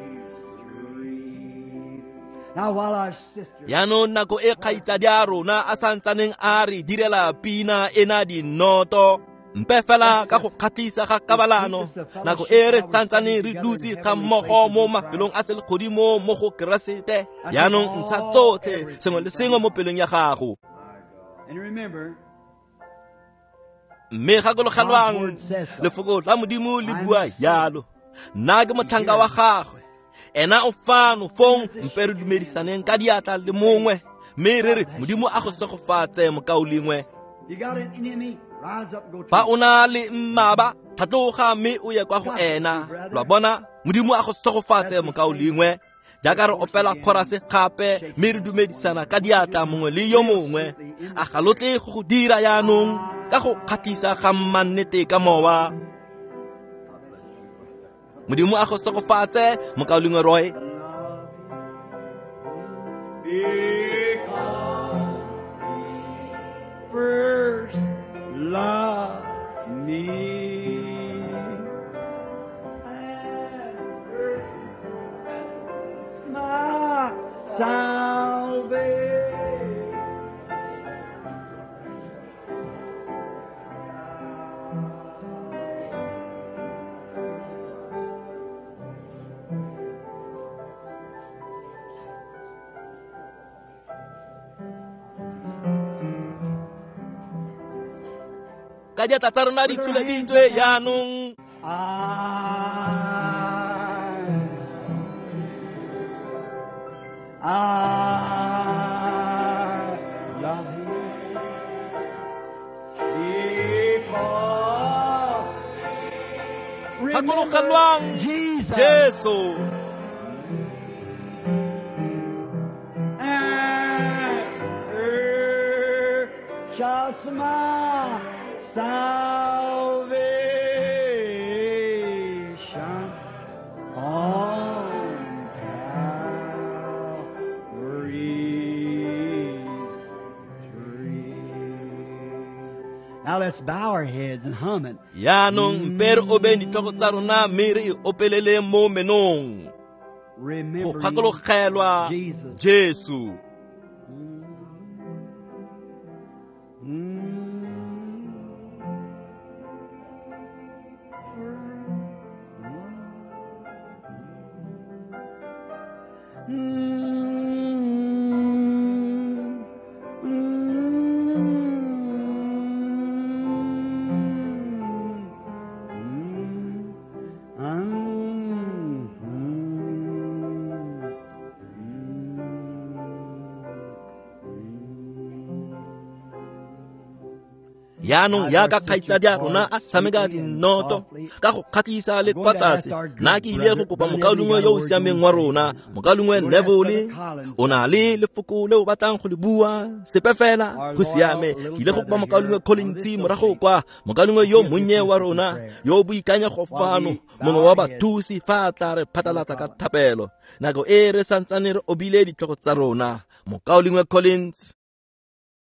tree. Now while our sister Jaanong nako e kgaitsadi a rona a santsaneng a re direla pina ena dinoto, mpe fela ka go kgatlhisa ga kabalano, nako e re santsaneng re dutse ga mmogo mo mafelong a selegodimo mo go Keresete. Jaanong ntsha tsotlhe sengwe le sengwe mo pelong ya gago. And remember, Mme gakologelwang, lefoko la Modimo le bua jalo. Nna ke motlhanka wa gagwe, ena o fano fong, mpe re dumedisaneng ka diatla le mongwe, mme re re Modimo a go segofatse mokaulengwe. you got an enemy, rise up and go to Fa him. o na le mmaba, tlhatloga mme o ye kwa go ena. Lwa bona, Modimo a go segofatse mokaulengwe. Jaaka re opela chorus gape mme re dumedisana ka diatla mongwe le yo mongwe, a ga lo tle go go dira jaanong ka go kgatlhisa ga mmannete ka mowa. Modimo a go segofatse mokaulengwe Roy. Because he first loved me and purchased my salvation. Ka diatla tsa rona di tsholeditswe jaanong. I, I love him because Gakologelwang Jesus Jesu and purchased my salvation on Calvary's tree. Now let's bow our heads and hum it. Jaanong mpe re obeng ditlhogo tsa rona mme re e opelele mo menong. Go Remembering gakologelwa Jesus. Jesu. Mm. Mm. Mm. Mm. Mm. Jaanong jaaka kgaitsadi a rona a tshameka dinoto ka go kgatlhisa le kwa tlase, nna ke ile go kopa mokaulengwe yo o siameng wa rona, mokaulengwe Neville, o na le lefoko le o batlang go le bua, sepe fela go siame. Ke ile go kopa mokaulengwe Collins morago kwa, mokaulengwe yo monnye wa rona yo o boikanyego fano, mongwe wa bathusi fa a tla re phatlalatsa ka thapelo nako e re santsane re obile ditlhogo tsa rona. Mokaulengwe Collins.